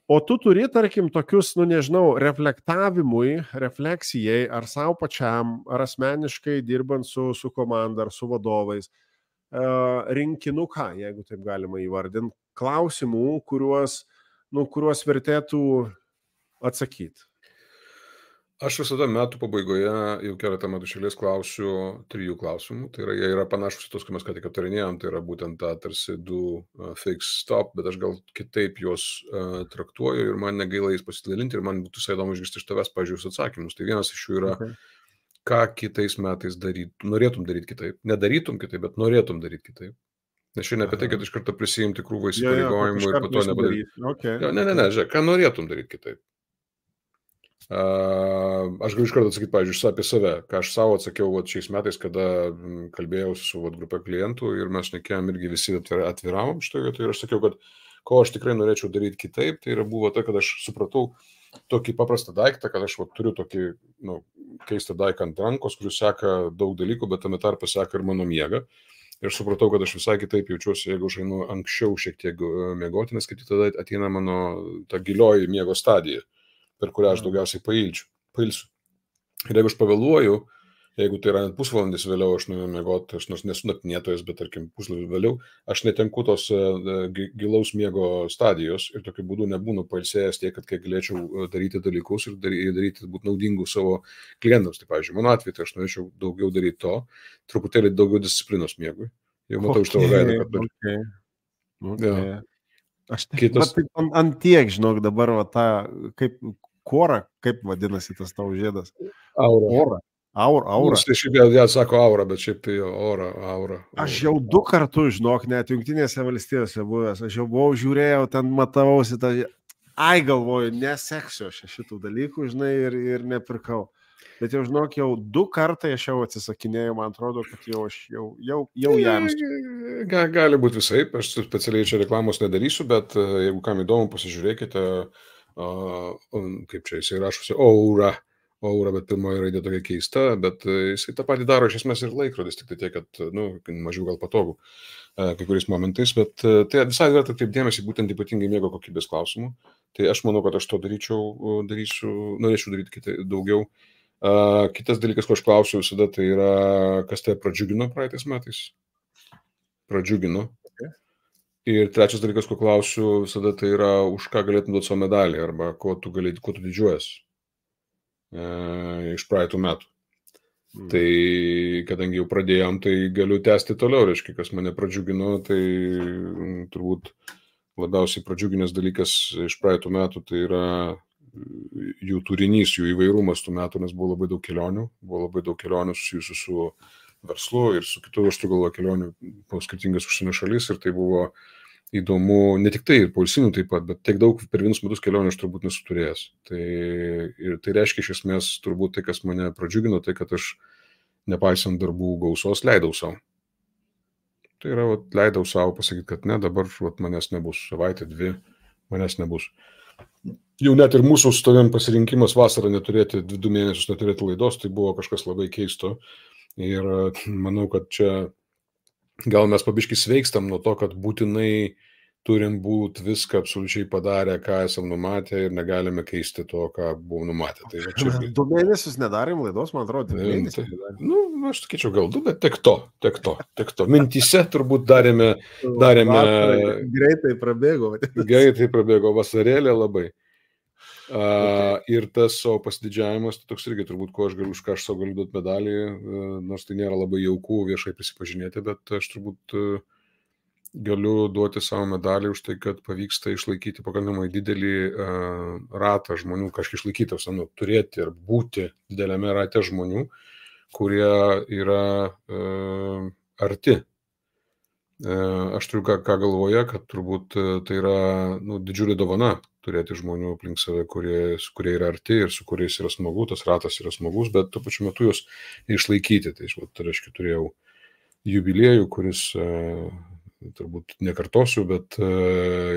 O tu turi, tarkim, tokius, nu, nežinau, reflektavimui, refleksijai, ar savo pačiam, ar asmeniškai dirbant su, su komanda, ar su vadovais, rinkinuką, jeigu taip galima įvardinti, klausimų, kuriuos, nu, kuriuos vertėtų atsakyti. Aš visada metų pabaigoje jau keletą metų šėlės klausiu trijų klausimų. Tai yra, jie yra panašus į tos, kai mes ką tik aptarinėjom, tai yra būtent ta tarsi du uh, fix stop, bet aš gal kitaip juos uh, traktuoju ir man negaila jais pasidalinti ir man būtų visai įdomu išgirsti iš tavęs, pažiūrėjus atsakymus. Tai vienas iš jų yra, okay. Ką kitais metais darytum, norėtum daryti kitaip. Nedarytum kitaip, bet norėtum daryti kitaip. Nes šiandien apie tai, kad iš karto prisijimti krūvą įsipareigojimų ir po to nepadaryti. Okay. Jo, ne, ne, ne, žiūrėk, ką norėtum daryti kitaip. Uh, aš galiu iš karto atsakyti, pavyzdžiui, apie save, ką aš savo atsakiau vat, šiais metais, kada kalbėjau su vat, grupė klientų ir mes šnekėjom irgi visi atviravom šitoje vietoje ir aš sakiau, kad ko aš tikrai norėčiau daryti kitaip, tai yra buvo tai, kad aš supratau tokį paprastą daiktą, kad aš vat, turiu tokį nu, keistą daiktą ant rankos, kuris seka daug dalykų, bet tame tarpe seka ir mano miegą. Ir supratau, kad aš visai kitaip jaučiuosi, jeigu aš einu anksčiau šiek tiek miegoti, nes kaip tada ateina mano ta gilioji miego stadija, per kurią aš daugiausiai pailčiu, pailsiu. Ir jeigu aš pavėluoju, jeigu tai yra net pusvalandis vėliau, aš nuėjau miegoti, aš nors nesu naktinėtojas, bet tarkim pusvalandį vėliau, aš netenku tos uh, gilaus miego stadijos ir tokiu būdu nebūnu pailsėjęs tiek, kad kai galėčiau daryti dalykus ir daryti, daryti būti naudingų savo klientams. Tai, pavyzdžiui, mano atveju, tai aš norėčiau daugiau daryti to, truputėlį daugiau disciplinos miegui. Jau matau okay, iš tavo veidą, kad turiu. Okay. Okay. Ja. Aš taip, Kitas... taip ant, ant tiek, žinok, dabar va, ta, kaip kora, kaip vadinasi tas tavo žiedas? Aura. Aura. Aura, aura. Nu, šiaip jau, jie sako aura, bet šiaip tai aura, aura, aura. Aš jau du kartus, žinok, net Jungtinėse valstijose buvęs, aš jau buvau, žiūrėjau, ten matavausi, tą... ai galvoju, neseksiu aš šitų dalykų, žinai, ir, ir nepirkau. Bet jau, žinok, jau du kartai aš jau atsisakinėjau, man atrodo, kad jau aš jau, jau, jau jam. Ga, gali būti visai, aš specialiai čia reklamos nedarysiu, bet jeigu kam įdomu, pasižiūrėkite, uh, kaip čia jisai rašosi, aura, aura, bet pirmoji raidė tokia keista, bet jisai tą patį daro iš esmės ir laikrodis, tik tai tiek, kad, nu, mažiau gal patogu uh, kai kuriais momentais, bet uh, tai visai verta taip dėmesį būtent ypatingai miego kokybės klausimų. Tai aš manau, kad aš to daryčiau, darysiu, norėčiau daryti kitai, daugiau. Uh, kitas dalykas, ko aš klausiu visada, tai yra, kas tai pradžiugino praeitais metais. Pradžiugino. Okay. Ir trečias dalykas, ko klausiu visada, tai yra, už ką galėtum duoti savo medalį, arba ko tu, galėt, ko tu didžiuojas uh, iš praeitų metų. Mm. Tai kadangi jau pradėjom, tai galiu tęsti toliau, reiškia, kas mane pradžiugino, tai turbūt labiausiai pradžiuginės dalykas iš praeitų metų, tai yra jų turinys, jų įvairumas tų metų, nes buvo labai daug kelionių, buvo labai daug kelionių susijusių su verslu ir su kitų, aš turiu galvoje, kelionių po skirtingas užsienio šalis ir tai buvo įdomu, ne tik tai ir poilsinių taip pat, bet tiek daug per vienus metus kelionių aš turbūt nesu turėjęs. Tai, ir tai reiškia iš esmės turbūt tai, kas mane pradžiugino, tai kad aš nepaisant darbų gausos leidau savo. Tai yra, vat, leidau savo pasakyti, kad ne, dabar vat, manęs nebus, savaitę, dvi, manęs nebus. Jau net ir mūsų su tavim pasirinkimas vasarą neturėti, du mėnesius neturėti laidos, tai buvo kažkas labai keisto. Ir manau, kad čia gal mes pabiškai sveikstam nuo to, kad būtinai turim būti viską absoliučiai padarę, ką esam numatę ir negalime keisti to, ką buvom numatę. Tai čia... Du mėnesius nedarėm laidos, man atrodo, du mėnesius. Tai, nu, aš sakyčiau, gal du, bet tek to, tek to, tek to. Mintyse turbūt darėme... darėme... Greitai prabėgo. Greitai prabėgo vasarėlė labai. Uh, ir tas savo pasididžiavimas, tai toks irgi turbūt, ko aš galiu, už ką aš savo galiu duoti medalį, uh, nors tai nėra labai jauku viešai prisipažinėti, bet aš turbūt uh, galiu duoti savo medalį už tai, kad pavyksta išlaikyti pakankamai didelį uh, ratą žmonių, kažkaip išlaikyti, nu, turėti ir būti dideliame rate žmonių, kurie yra uh, arti. Uh, aš turiu ką, ką galvoje, kad turbūt uh, tai yra nu, didžiulė dovana turėti žmonių aplink save, kurie, kurie yra arti ir su kuriais yra smagu, tas ratas yra smagus, bet tuo pačiu metu juos išlaikyti. Tai, tai reiškia, turėjau jubiliejų, kuris e, turbūt nekartosiu, bet e,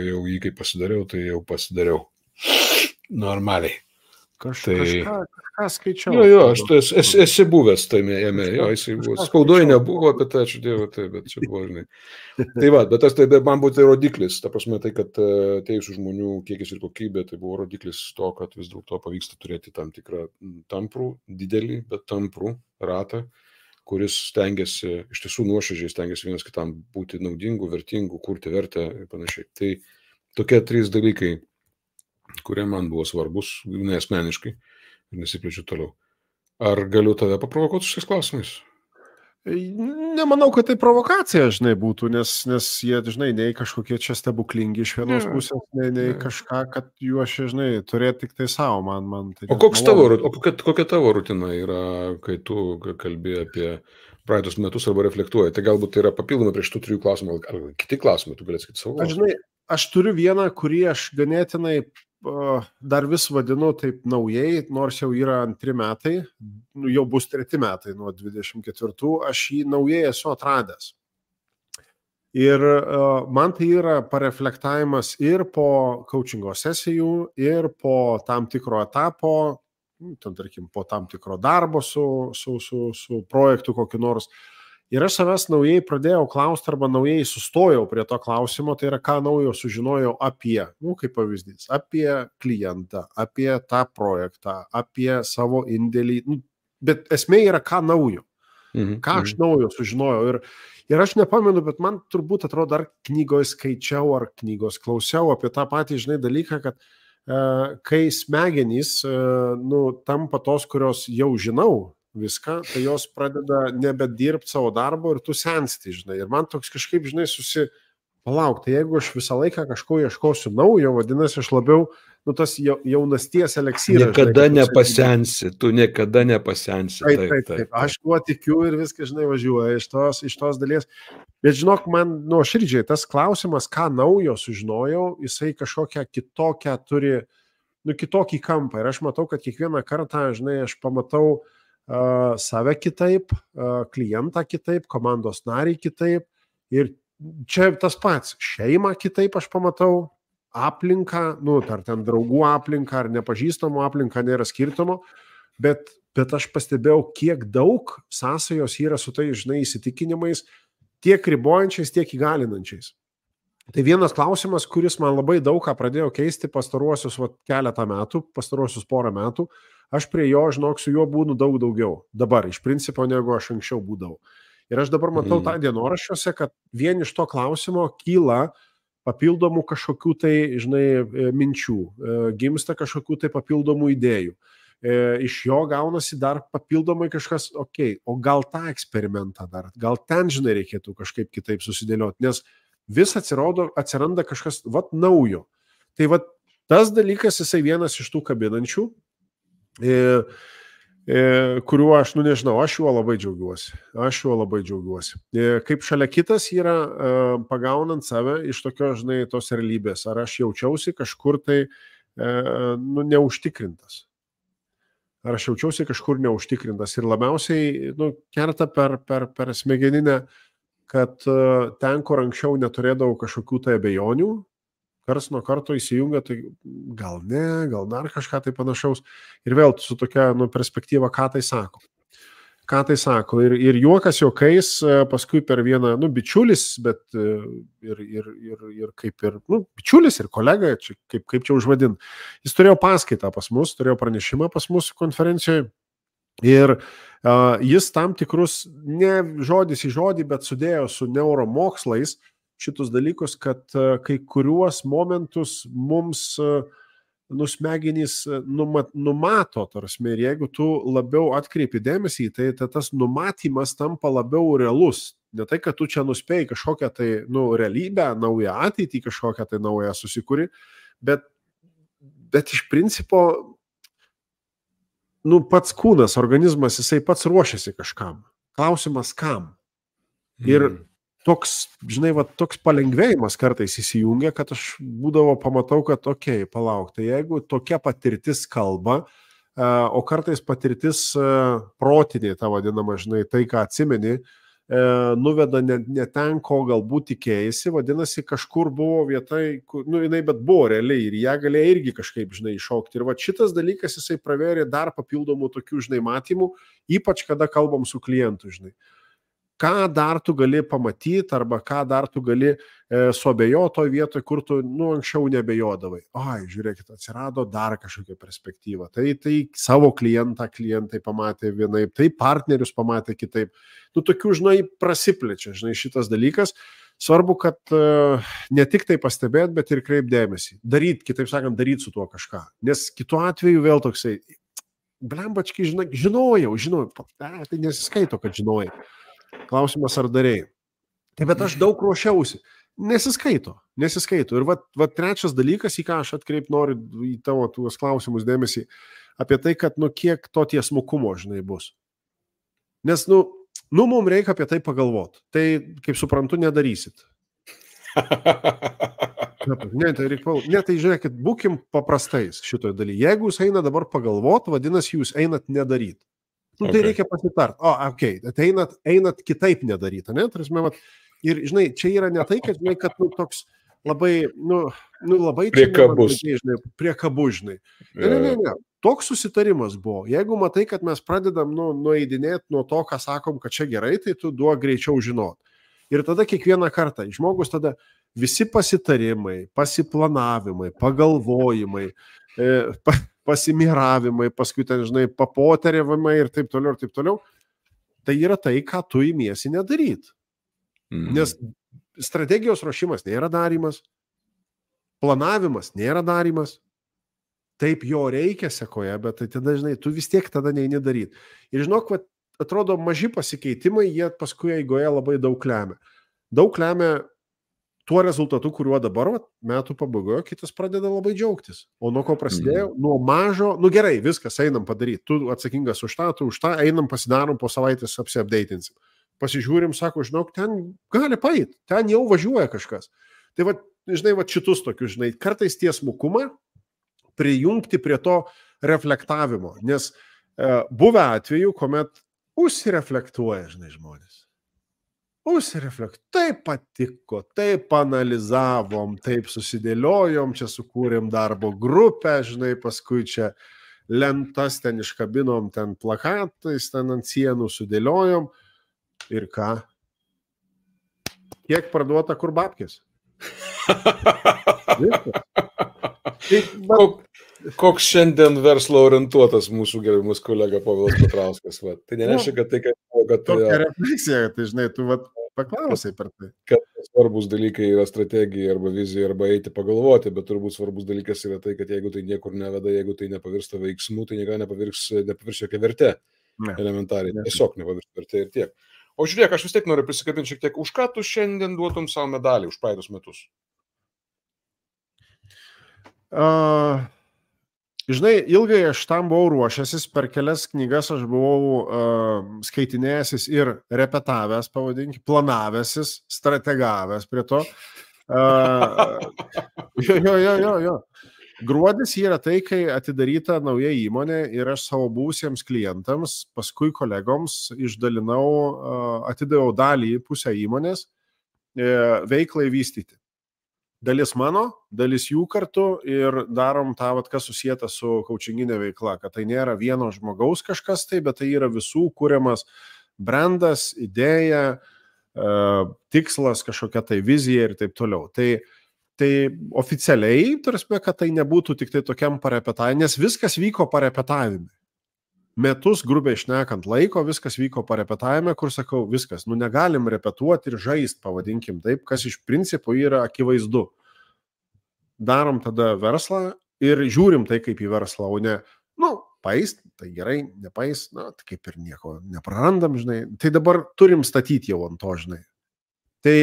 jau jį kaip pasidariau, tai jau pasidariau normaliai. Kaž, tai... Kažką, kažką skaičiau. Jo, jo, aš tu esi, esi, esi buvęs tame jame, jo, jisai buvo. Spaudoje nebuvo, bet ačiū Dievui, tai, bet čia buvo, žinai. Tai va, bet tas tai man buvo tai rodiklis, ta prasme tai, kad atėjusių žmonių kiekis ir kokybė, tai buvo rodiklis to, kad vis dėlto pavyksta turėti tam tikrą tamprų, didelį, bet tamprų ratą, kuris stengiasi, iš tiesų nuoširdžiai stengiasi vienas kitam būti naudingų, vertingų, kurti vertę ir panašiai. Tai tokie trys dalykai, kurie man buvo svarbus, neasmeniškai, ir nesiplečiu toliau. Ar galiu tave paprovokuoti su šiais klausimais? Nemanau, kad tai provokacija, žinai, būtų, nes, nes jie, žinai, nei kažkokie čia stebuklingi iš vienos yeah. pusės, nei, nei yeah. kažką, kad juos, žinai, turėti tik tai savo, man, man tai... O, koks tavo, o kokia, kokia tavo rutina yra, kai tu kalbi apie praeitus metus arba reflektuoji? Tai galbūt tai yra papildoma prie šitų trijų klausimų, ar kiti klausimai, tu galėsi sakyti savo klausimą? Aš, žinai, aš turiu vieną, kurį aš ganėtinai dar vis vadinu taip naujai, nors jau yra antri metai, nu, jau bus treti metai nuo dvidešimt ketvirtų, aš jį naujai esu atradęs. Ir uh, man tai yra pareflektavimas ir po coachingo sesijų, ir po tam tikro etapo, ten, tarkim, po tam tikro darbo su, su, su, su projektu kokiu nors. Ir aš savęs naujai pradėjau klausti arba naujai sustojau prie to klausimo, tai yra ką naujo sužinojau apie, nu, kaip pavyzdys, apie klientą, apie tą projektą, apie savo indėlį, nu, bet esmė yra ką naujo, mhm, ką aš naujo sužinojau. Ir, ir aš nepamenu, bet man turbūt atrodo, ar knygoje skaičiau, ar knygos klausiau apie tą patį, žinai, dalyką, kad uh, kai smegenys uh, nu, tampa tos, kurios jau žinau, viską, tai jos pradeda nebedirbti savo darbo ir tu sensti, žinai. Ir man toks kažkaip, žinai, susipalauk, tai jeigu aš visą laiką kažko ieškosiu naujo, vadinasi, aš labiau, nu, tas jaunasties eleksyras. Niekada žinai, nepasensi, tu niekada nepasensi. Taip, taip, taip, taip. Aš tuo tikiu ir viskas, žinai, važiuoja iš tos, iš tos dalies. Bet žinok, man, nu, širdžiai, tas klausimas, ką naujo sužinojau, jisai kažkokią kitokią turi, nu, kitokį kampą. Ir aš matau, kad kiekvieną kartą, žinai, aš pamatau Uh, save kitaip, uh, klientą kitaip, komandos narį kitaip. Ir čia tas pats, šeimą kitaip aš pamatau, aplinką, nu, ar ten draugų aplinką, ar nepažįstamų aplinką, nėra skirtumo, bet, bet aš pastebėjau, kiek daug sąsajos yra su tai, žinai, įsitikinimais, tiek ribojančiais, tiek įgalinančiais. Tai vienas klausimas, kuris man labai daug ką pradėjo keisti pastaruosius va, keletą metų, pastaruosius porą metų, aš prie jo, žinok, su juo būnu daug daugiau. Dabar, iš principo, negu aš anksčiau būdavau. Ir aš dabar matau mm. tą dienoraščiuose, kad vien iš to klausimo kyla papildomų kažkokių tai, žinai, minčių, gimsta kažkokių tai papildomų idėjų. iš jo gaunasi dar papildomai kažkas, okei, okay, o gal tą eksperimentą dar, gal ten, žinai, reikėtų kažkaip kitaip susidėlioti, nes vis atsirado, atsiranda kažkas, vat, naujo. Tai vat, tas dalykas, jisai vienas iš tų kabinančių, e, e, kuriuo aš, nu nežinau, aš juo labai džiaugiuosi. Aš juo labai džiaugiuosi. E, kaip šalia kitas yra e, pagaunant save iš tokio, žinai, tos realybės. Ar aš jaučiausi kažkur tai e, nu, neužtikrintas. Ar aš jaučiausi kažkur neužtikrintas ir labiausiai nu, kerta per, per, per smegeninę, kad uh, ten, kur anksčiau neturėdavau kažkokių tai abejonių, kars nuo karto įsijungia, tai gal ne, gal dar kažką tai panašaus. Ir vėl su tokia nu, perspektyva, ką tai sako. Ką tai sako. Ir, ir juokas juokais, paskui per vieną, nu, bičiulis, bet ir, ir, ir, ir kaip ir, nu, bičiulis ir kolega, čia, kaip, kaip čia užvadin. Jis turėjo paskaitą pas mus, turėjo pranešimą pas mus konferencijoje ir uh, jis tam tikrus, ne žodis į žodį, bet sudėjo su neuromokslais šitus dalykus, kad uh, kai kuriuos momentus mums uh, nusmegenys numat, numato, tarsi, ir jeigu tu labiau atkreipi dėmesį, tai, tai tas numatymas tampa labiau realus. Ne tai, kad tu čia nuspėjai kažkokią tai nu, realybę, naują ateitį, kažkokią tai naują susikūri, bet, bet iš principo nu, pats kūnas, organizmas, jisai pats ruošiasi kažkam. Klausimas kam. Ir mm. toks, žinai, va, toks palengvėjimas kartais įsijungia, kad aš būdavo pamatau, kad okei, okay, palauk, tai jeigu tokia patirtis kalba, o kartais patirtis protinė, ta vadinama, žinai, tai, ką atsimeni, nuveda ne, ne ten, ko galbūt tikėjasi, vadinasi, kažkur buvo vietai, nu, jinai bet buvo realiai ir ją galėjo irgi kažkaip, žinai, iššaukti. Ir va šitas dalykas, jisai pravėrė dar papildomų tokių, žinai, matymų, ypač kada kalbam su klientu, žinai. Ką dar tu gali pamatyti arba ką dar tu gali e, suabejoti toj vietoje, kur tu nu, anksčiau nebejodavai. Ai, žiūrėkit, atsirado dar kažkokia perspektyva. Tai, tai savo klientą klientai pamatė vienaip, tai partnerius pamatė kitaip. Nu, tokių, žinai, prasiplečia, žinai, šitas dalykas. Svarbu, kad e, ne tik tai pastebėt, bet ir kreip dėmesį. Daryt, kitaip sakant, daryt su tuo kažką. Nes kitu atveju vėl toksai, blembački, žinai, žinojau, žinojau, a, tai nesiskaito, kad žinojai. Klausimas, ar darėjai. Tai bet aš daug ruošiausi. Nesiskaito, nesiskaito. Ir va, va trečias dalykas, į ką aš atkreip noriu į tavo tuos klausimus dėmesį, apie tai, kad nu kiek to tiesmukumo, žinai, bus. Nes, nu, nu mums reikia apie tai pagalvoti. Tai, kaip suprantu, nedarysit. Ne, tai reikia, ne, tai žiūrėkit, būkim paprastais šitoje dalyje. Jeigu jūs eina dabar pagalvoti, vadinasi, jūs einat nedaryti. Nu, tai okay. Reikia pasitart. O, okei, okay. Tai einat, einat kitaip nedaryti, ne? Tarasme, vat, ir, žinai, čia yra ne tai, kad, žinai, kad nu, toks labai, nu, nu labai... Priekabus. Žinai, priekabus, žinai. Ne, ne, ne, ne. Toks susitarimas buvo. Jeigu matai, kad mes pradedam, nu, nueidinėti nuo to, ką sakom, kad čia gerai, tai tu duok greičiau žinot. Ir tada kiekvieną kartą žmogus tada visi pasitarimai, pasiplanavimai, pagalvojimai, e, pa, pasimiravimai, paskui ten, žinai, papoteriavimai ir taip toliau, ir taip toliau, tai yra tai, ką tu įmiesi nedaryti. Mm. Nes strategijos ruošimas nėra darymas, planavimas nėra darymas, taip jo reikia sekoje, bet tai tada, žinai, tu vis tiek tada neini daryti. Ir žinok, va, atrodo, maži pasikeitimai, jie paskui eigoje labai daug lemia. Daug lemia tuo rezultatu, kuriuo dabar vat, metų pabaigoje kitas pradeda labai džiaugtis. O nuo ko prasidėjo? Mm. Nuo mažo, nu gerai, viskas, einam padaryti. Tu atsakingas už tą, tu už tą, einam pasidarom, po savaitės apsiapdeitinsim. Pasižiūrim, sako, žinok, ten gali paeit, ten jau važiuoja kažkas. Tai, vat, žinai, vat šitus tokius, žinai, kartais tiesmukumą prijungti prie to reflektavimo. Nes e, buvę atveju, kuomet užsireflektuoja, žinai, žmonės. Užsireflektuoja. Taip patiko, taip analizavom, taip susidėliojom, čia sukūrėm darbo grupę, žinai, paskui čia lentas ten iškabinom, ten plakatais, ten ant sienų sudėliojom. Ir ką? Kiek parduota, kur babkės? Kok, koks šiandien verslo orientuotas mūsų gerbiamas kolega Povilas Petrauskas. Va. Tai nereiškia, kad tai, kad... kad tokia refleksija, tai žinai, tu vat, Paklausai per tai. Kad svarbus dalykai yra strategija arba vizija arba eiti pagalvoti, bet turbūt svarbus dalykas yra tai, kad jeigu tai niekur neveda, jeigu tai nepavirsta veiksmu, tai niekada nepavirs, nepavirs jokia vertė. Ne. Elementariai. Ne. Tiesiog nepavirs vertė ir tiek. O žiūrėk, aš vis tiek noriu prisikabinti šiek tiek, už ką tu šiandien duotum savo medalį už praeitus metus? Uh, žinai, ilgai aš tam buvau ruošęsis, per kelias knygas aš buvau uh, skaitinėjęsis ir repetavęs, pavadinkime, planavęsis, strategavęs prie to. Uh, jo, jo, jo, jo, jo. Gruodis yra tai, kai atidaryta nauja įmonė ir aš savo buvusiems klientams, paskui kolegoms išdalinau, atidaviau dalį pusę įmonės veiklai vystyti. Dalis mano, dalis jų kartu ir darom tą, vat, kas susieta su coachinginė veikla, kad tai nėra vieno žmogaus kažkas tai, bet tai yra visų kuriamas brandas, idėja, tikslas, kažkokia tai vizija ir taip toliau. Tai Tai oficialiai, tarsi, kad tai nebūtų tik tai tokiam parepetavimui, nes viskas vyko parepetavime. Metus, grubiai šnekant laiko, viskas vyko parepetavime, kur sakau, viskas, nu negalim repetuoti ir žaist, pavadinkim taip, kas iš principo yra akivaizdu. Darom tada verslą ir žiūrim tai kaip į verslą, o ne, nu, paist, tai gerai, nepaist, na, tai kaip ir nieko neprarandam, žinai. Tai dabar turim statyti jau ant to, žinai. Tai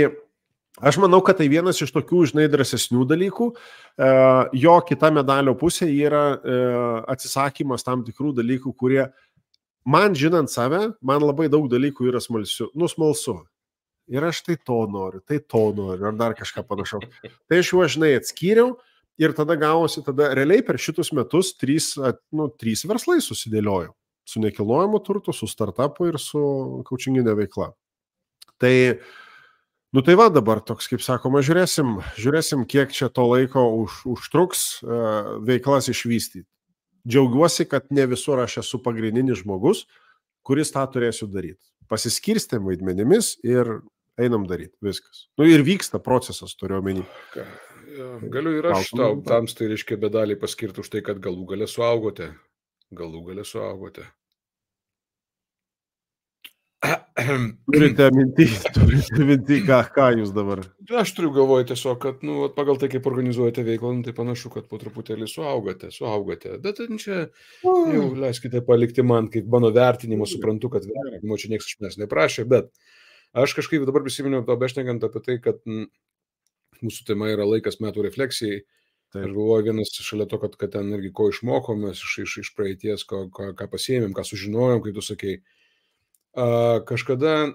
aš manau, kad tai vienas iš tokių, žinai, drąsesnių dalykų. Jo kita medalio pusė yra atsisakymas tam tikrų dalykų, kurie, man žinant save, man labai daug dalykų yra smalsiu, nu, smalsu. Ir aš tai to noriu, tai to noriu, ar dar kažką panašau. Tai aš juos, žinai, atskyriau ir tada gavosi, tada realiai per šitus metus trys, nu, trys verslai susidėliojo. Su nekilnojamu turtu, su startupu ir su coachinginė veikla. Tai Nu tai va dabar toks, kaip sakoma, žiūrėsim, žiūrėsim kiek čia to laiko už, užtruks uh, veiklas išvystyti. Džiaugiuosi, kad ne visur aš esu pagrindinis žmogus, kuris tą turėsiu daryti. Pasiskirstėm vaidmenimis ir einam daryti. Viskas. Nu ir vyksta procesas, turiu omeny. Galiu ir aš tau, tams tai reiškia bedaliai paskirti už tai, kad galų gale suaugote. Galų gale suaugote. Turite minti, turite minti, ką, ką jūs dabar? Aš turiu galvoje tiesiog, kad nu, pagal tai, kaip organizuojate veiklą, tai panašu, kad po truputėlį suaugote, suaugote. Bet čia jau leiskite palikti man, kaip mano vertinimo, suprantu, kad vertinimo čia niekas iš manęs neprašė, bet aš kažkaip dabar prisiminiau to bešnekant apie tai, kad m, mūsų tema yra laikas metų refleksijai. Taip. Aš galvoju, vienas šalia to, kad, kad ten irgi ko išmokomės iš, iš, iš praeities, ko, ko, ką pasiėmėm, ką sužinojom, kaip tu sakei. Uh, kažkada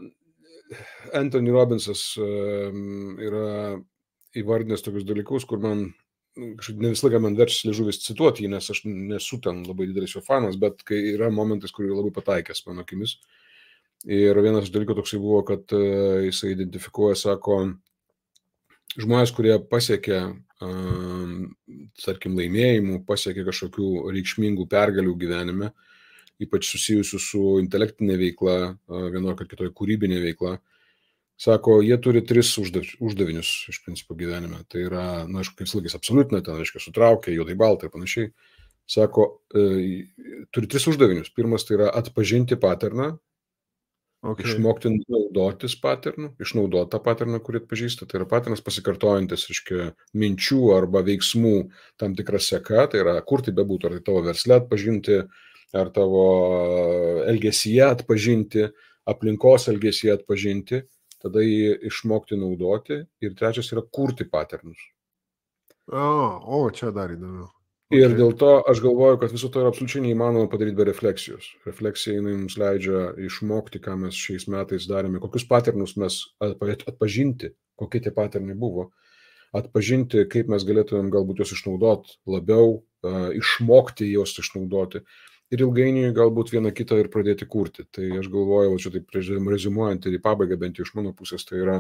Anthony Robbinsas uh, yra įvardinęs tokius dalykus, kur man ne visą laiką man verčiasi liežuvis cituoti jį, nes aš nesu ten labai didelis jo fanas, bet kai yra momentas, kur yra labai pataikęs mano akimis. Ir vienas iš dalykų toksai buvo, kad uh, jisai identifikuoja, sako, žmonės, kurie pasiekia, uh, tarkim, laimėjimų, pasiekia kažkokių reikšmingų pergalių gyvenime, ypač susijusių su intelektinė veikla, vienokia kitoje kūrybinė veikla, sako, jie turi tris uždavinius iš principo gyvenime. Tai yra, na, aišku, kaip slagis absoliutina, ten, aišku, sutraukia, juodai baltai ir panašiai. Sako, e, turi tris uždavinius. Pirmas tai yra atpažinti paterną, okay. Išmokti naudotis paternu, išnaudoti tą paterną, kurį atpažįsta. Tai yra paternas pasikartojantis, reiškia, minčių arba veiksmų tam tikra seka, tai yra, kur tai bebūtų, ar tai tavo versle atpažinti, ar tavo elgesyje atpažinti, aplinkos elgesyje atpažinti, tada jį išmokti naudoti. Ir trečias yra kurti paternus. O, o čia dar įdomiau. Okay. Ir dėl to aš galvoju, kad viso to yra absoliučiai neįmanoma padaryti be refleksijos. Refleksija jinai mums leidžia išmokti, ką mes šiais metais darėme, kokius paternus mes atpažinti, kokie tie paternai buvo, atpažinti, kaip mes galėtumėm galbūt juos išnaudoti labiau, išmokti juos išnaudoti. Ir ilgainiui galbūt vieną kitą ir pradėti kurti. Tai aš galvoju, čia taip reziumuojant ir į pabaigą, bent jau iš mano pusės, tai yra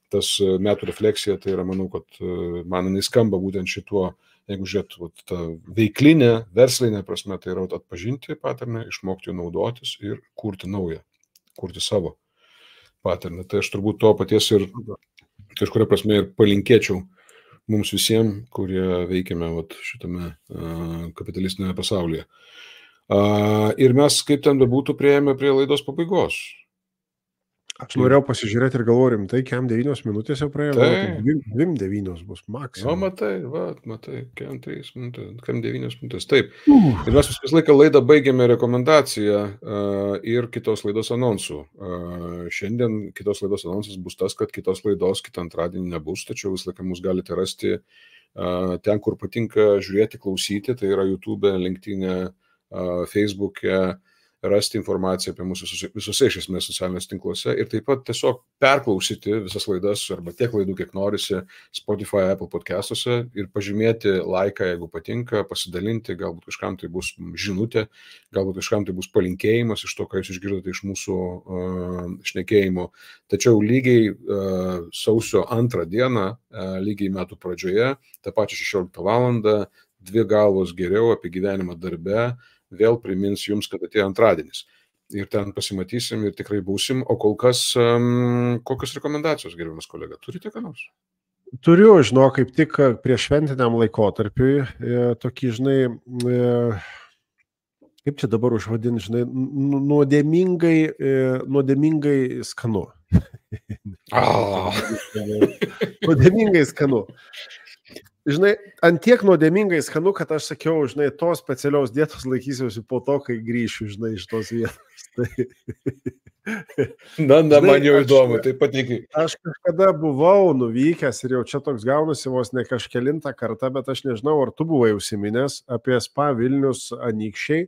tas metų refleksija, tai yra, manau, kad man jinai skamba būtent šituo, jeigu žiūrėtų, tą veiklinę, verslinę prasme, tai yra atpažinti paterną, išmokti jų naudotis ir kurti naują, kurti savo paterną. Tai aš turbūt to paties ir kažkuria prasme ir palinkėčiau mums visiems, kurie veikiame vat, šitame uh, kapitalistinėme pasaulyje. Uh, ir mes, kaip ten bebūtų, prieėjome prie laidos pabaigos. Aš norėjau pasižiūrėti ir galvoju, rimtai, kem devynios minutės jau praėjo, dvim devynios bus maksimum. O, matai, va, matai, kem trys minutės, kem devynios minutės, taip. Uh. Ir mes visą laiką laidą baigėme rekomendaciją uh, ir kitos laidos anonsų. Uh, šiandien kitos laidos anonsas bus tas, kad kitos laidos kitą antradienį nebus, tačiau visą laiką mus galite rasti uh, ten, kur patinka žiūrėti, klausyti, tai yra YouTube, LinkedIn, uh, Facebook'e, rasti informaciją apie mūsų visose iš esmės socialiniuose tinkluose ir taip pat tiesiog perklausyti visas laidas arba tiek laidų, kiek norisi Spotify, Apple podcastuose ir pažymėti laiką, jeigu patinka, pasidalinti, galbūt kažkam tai bus žinutė, galbūt kažkam tai bus palinkėjimas iš to, ką jūs išgirdote iš mūsų uh, šnekėjimo. Tačiau lygiai uh, sausio antrą dieną, uh, lygiai metų pradžioje, tą pačią šešioliktą valandą, dvi galvos geriau apie gyvenimą darbe, vėl primins jums, kad atėjo antradienis. Ir ten pasimatysim ir tikrai būsim. O kol kas, um, kokios rekomendacijos, gerbiamas kolega? Turite ką nors? Turiu, žinau, kaip tik prieš šventiniam laikotarpiui, e, tokį, žinai, e, kaip čia dabar užvadinti, žinai, nuodėmingai, e, nuodėmingai skanu. Oh. Nuodėmingai skanu. Žinai, antiek nuodėmingai skanu, kad aš sakiau, žinai, tos specialios dietos laikysiuosi po to, kai grįšiu, žinai, iš tos vietos. Tai... Na, na, žinai, man jau įdomu, tai patikiai. Aš kažkada buvau nuvykęs ir jau čia toks gaunasi vos ne kažkelintą kartą, bet aš nežinau, ar tu buvai užsiminęs apie Spa Vilnius Anykščiai.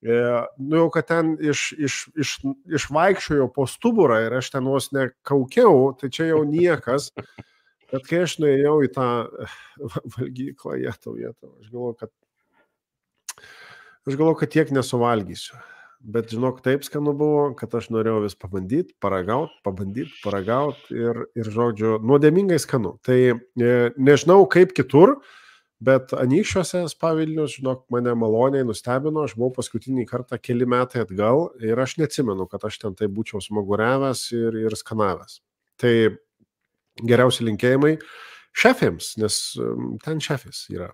E, nu jau, kad ten iš, iš, iš, išvaikščiojo po stuburą ir aš ten vos nekaukiau, tai čia jau niekas. Bet kai aš nuėjau į tą valgyklą, jie tau vietą, aš galvoju, kad aš galvoju, kad tiek nesuvalgysiu. Bet žinok, taip skanu buvo, kad aš norėjau vis pabandyti, paragauti, pabandyti, paragauti ir, ir žodžiu, nuodėmingai skanu. Tai e, nežinau kaip kitur, bet Anykščiuose Spa Vilnius, žinok, mane maloniai nustebino, aš buvau paskutinį kartą keli metai atgal ir aš neatsimenu, kad aš ten tai būčiau smaguriavęs ir, ir skanavęs. Tai geriausi linkėjimai šefėms, nes ten šefis yra.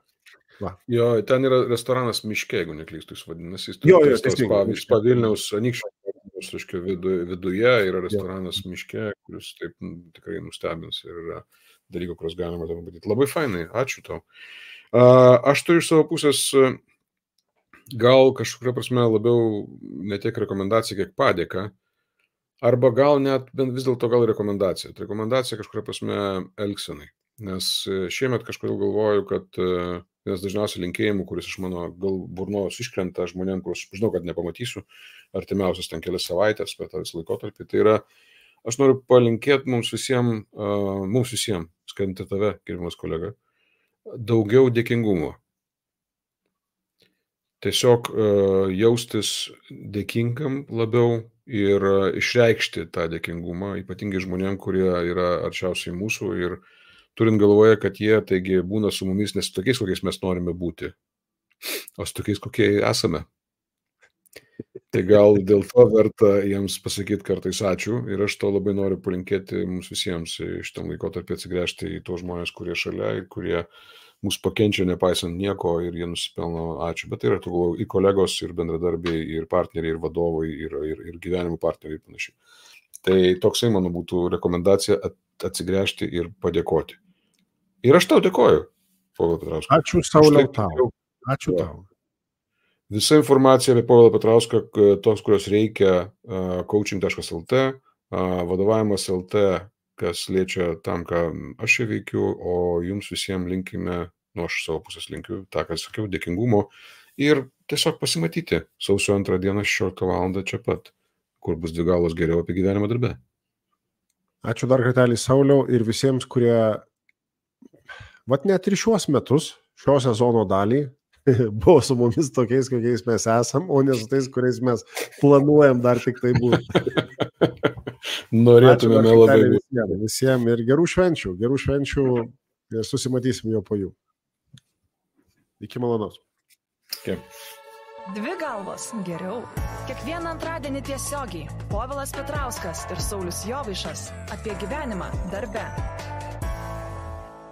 Va. Jo, ten yra restoranas Miške, jeigu neklystu, jis vadinasi. Jo, jo, teisingai. Spa Vilniaus Anykščių viduje yra restoranas jo. Miške, kuris taip tikrai nustebins ir yra dalykų, kuriuos galima ten matyti. Labai fainai, ačiū tau. Aš turiu iš savo pusės gal kažkuria prasme labiau ne tiek rekomendacija, kiek padėka. Arba gal net vis dėlto gal rekomendacija. Tai rekomendacija kažkuria prasme elgsenai. Nes šiemet kažkodėl galvoju, kad vienas dažniausiai linkėjimų, kuris iš mano gal burnos iškrenta žmonėm, kur aš žinau, kad nepamatysiu artimiausias ten kelias savaitės per tą visą laikotarpį, tai yra, aš noriu palinkėti mums visiems, uh, mums visiems, skaitant tave, gerbiamas kolega, daugiau dėkingumo. Tiesiog uh, jaustis dėkingam labiau ir uh, išreikšti tą dėkingumą, ypatingai žmonėm, kurie yra arčiausiai mūsų ir turint galvoje, kad jie taigi būna su mumis ne su tokiais, kokiais mes norime būti, o su tokiais, kokie esame. Tai gal dėl to verta jiems pasakyti kartais ačiū ir aš to labai noriu palinkėti mums visiems iš tam laikotarpį atsigręžti į tos žmonės, kurie šalia ir kurie mus pakenčia nepaisant nieko ir jie nusipelno ačiū. Bet tai yra tų ir kolegos, ir bendradarbiai, ir partneriai, ir vadovai, ir, ir, ir gyvenimo partneriai ir panašiai. Tai toksai mano būtų rekomendacija atsigręžti ir padėkoti. Ir aš tau dėkoju, Povilai Petrauskai. Ačiū Sauliau tau. Ačiū tau. Visa informacija apie Povilą Petrauską, tos, kurios reikia, coaching taškas el te, vadovavimas taškas el te, kas liečia tam, ką aš čia veikiu, o jums visiems linkime, nu aš savo pusės linkiu, tą, ką sakiau, dėkingumo ir tiesiog pasimatyti sausio antrą dieną šešioliktą valandą čia pat, kur bus dvi galos geriau apie gyvenimą darbe. Ačiū dar kartelį Sauliau ir visiems, kurie vat net ir šiuos metus, šio sezono dalį, buvo su mumis tokiais, kokiais mes esam, o ne su tais, kuriais mes planuojam dar tik tai būti. Norėtumėme labai visiems, visiems ir gerų švenčių, gerų švenčių ir susimatysim jau po jų. Iki malonaus. Okay. Dvi galvos geriau. Kiekvieną antradienį tiesiogiai Povilas Petrauskas ir Saulius Jovaišas apie gyvenimą darbe.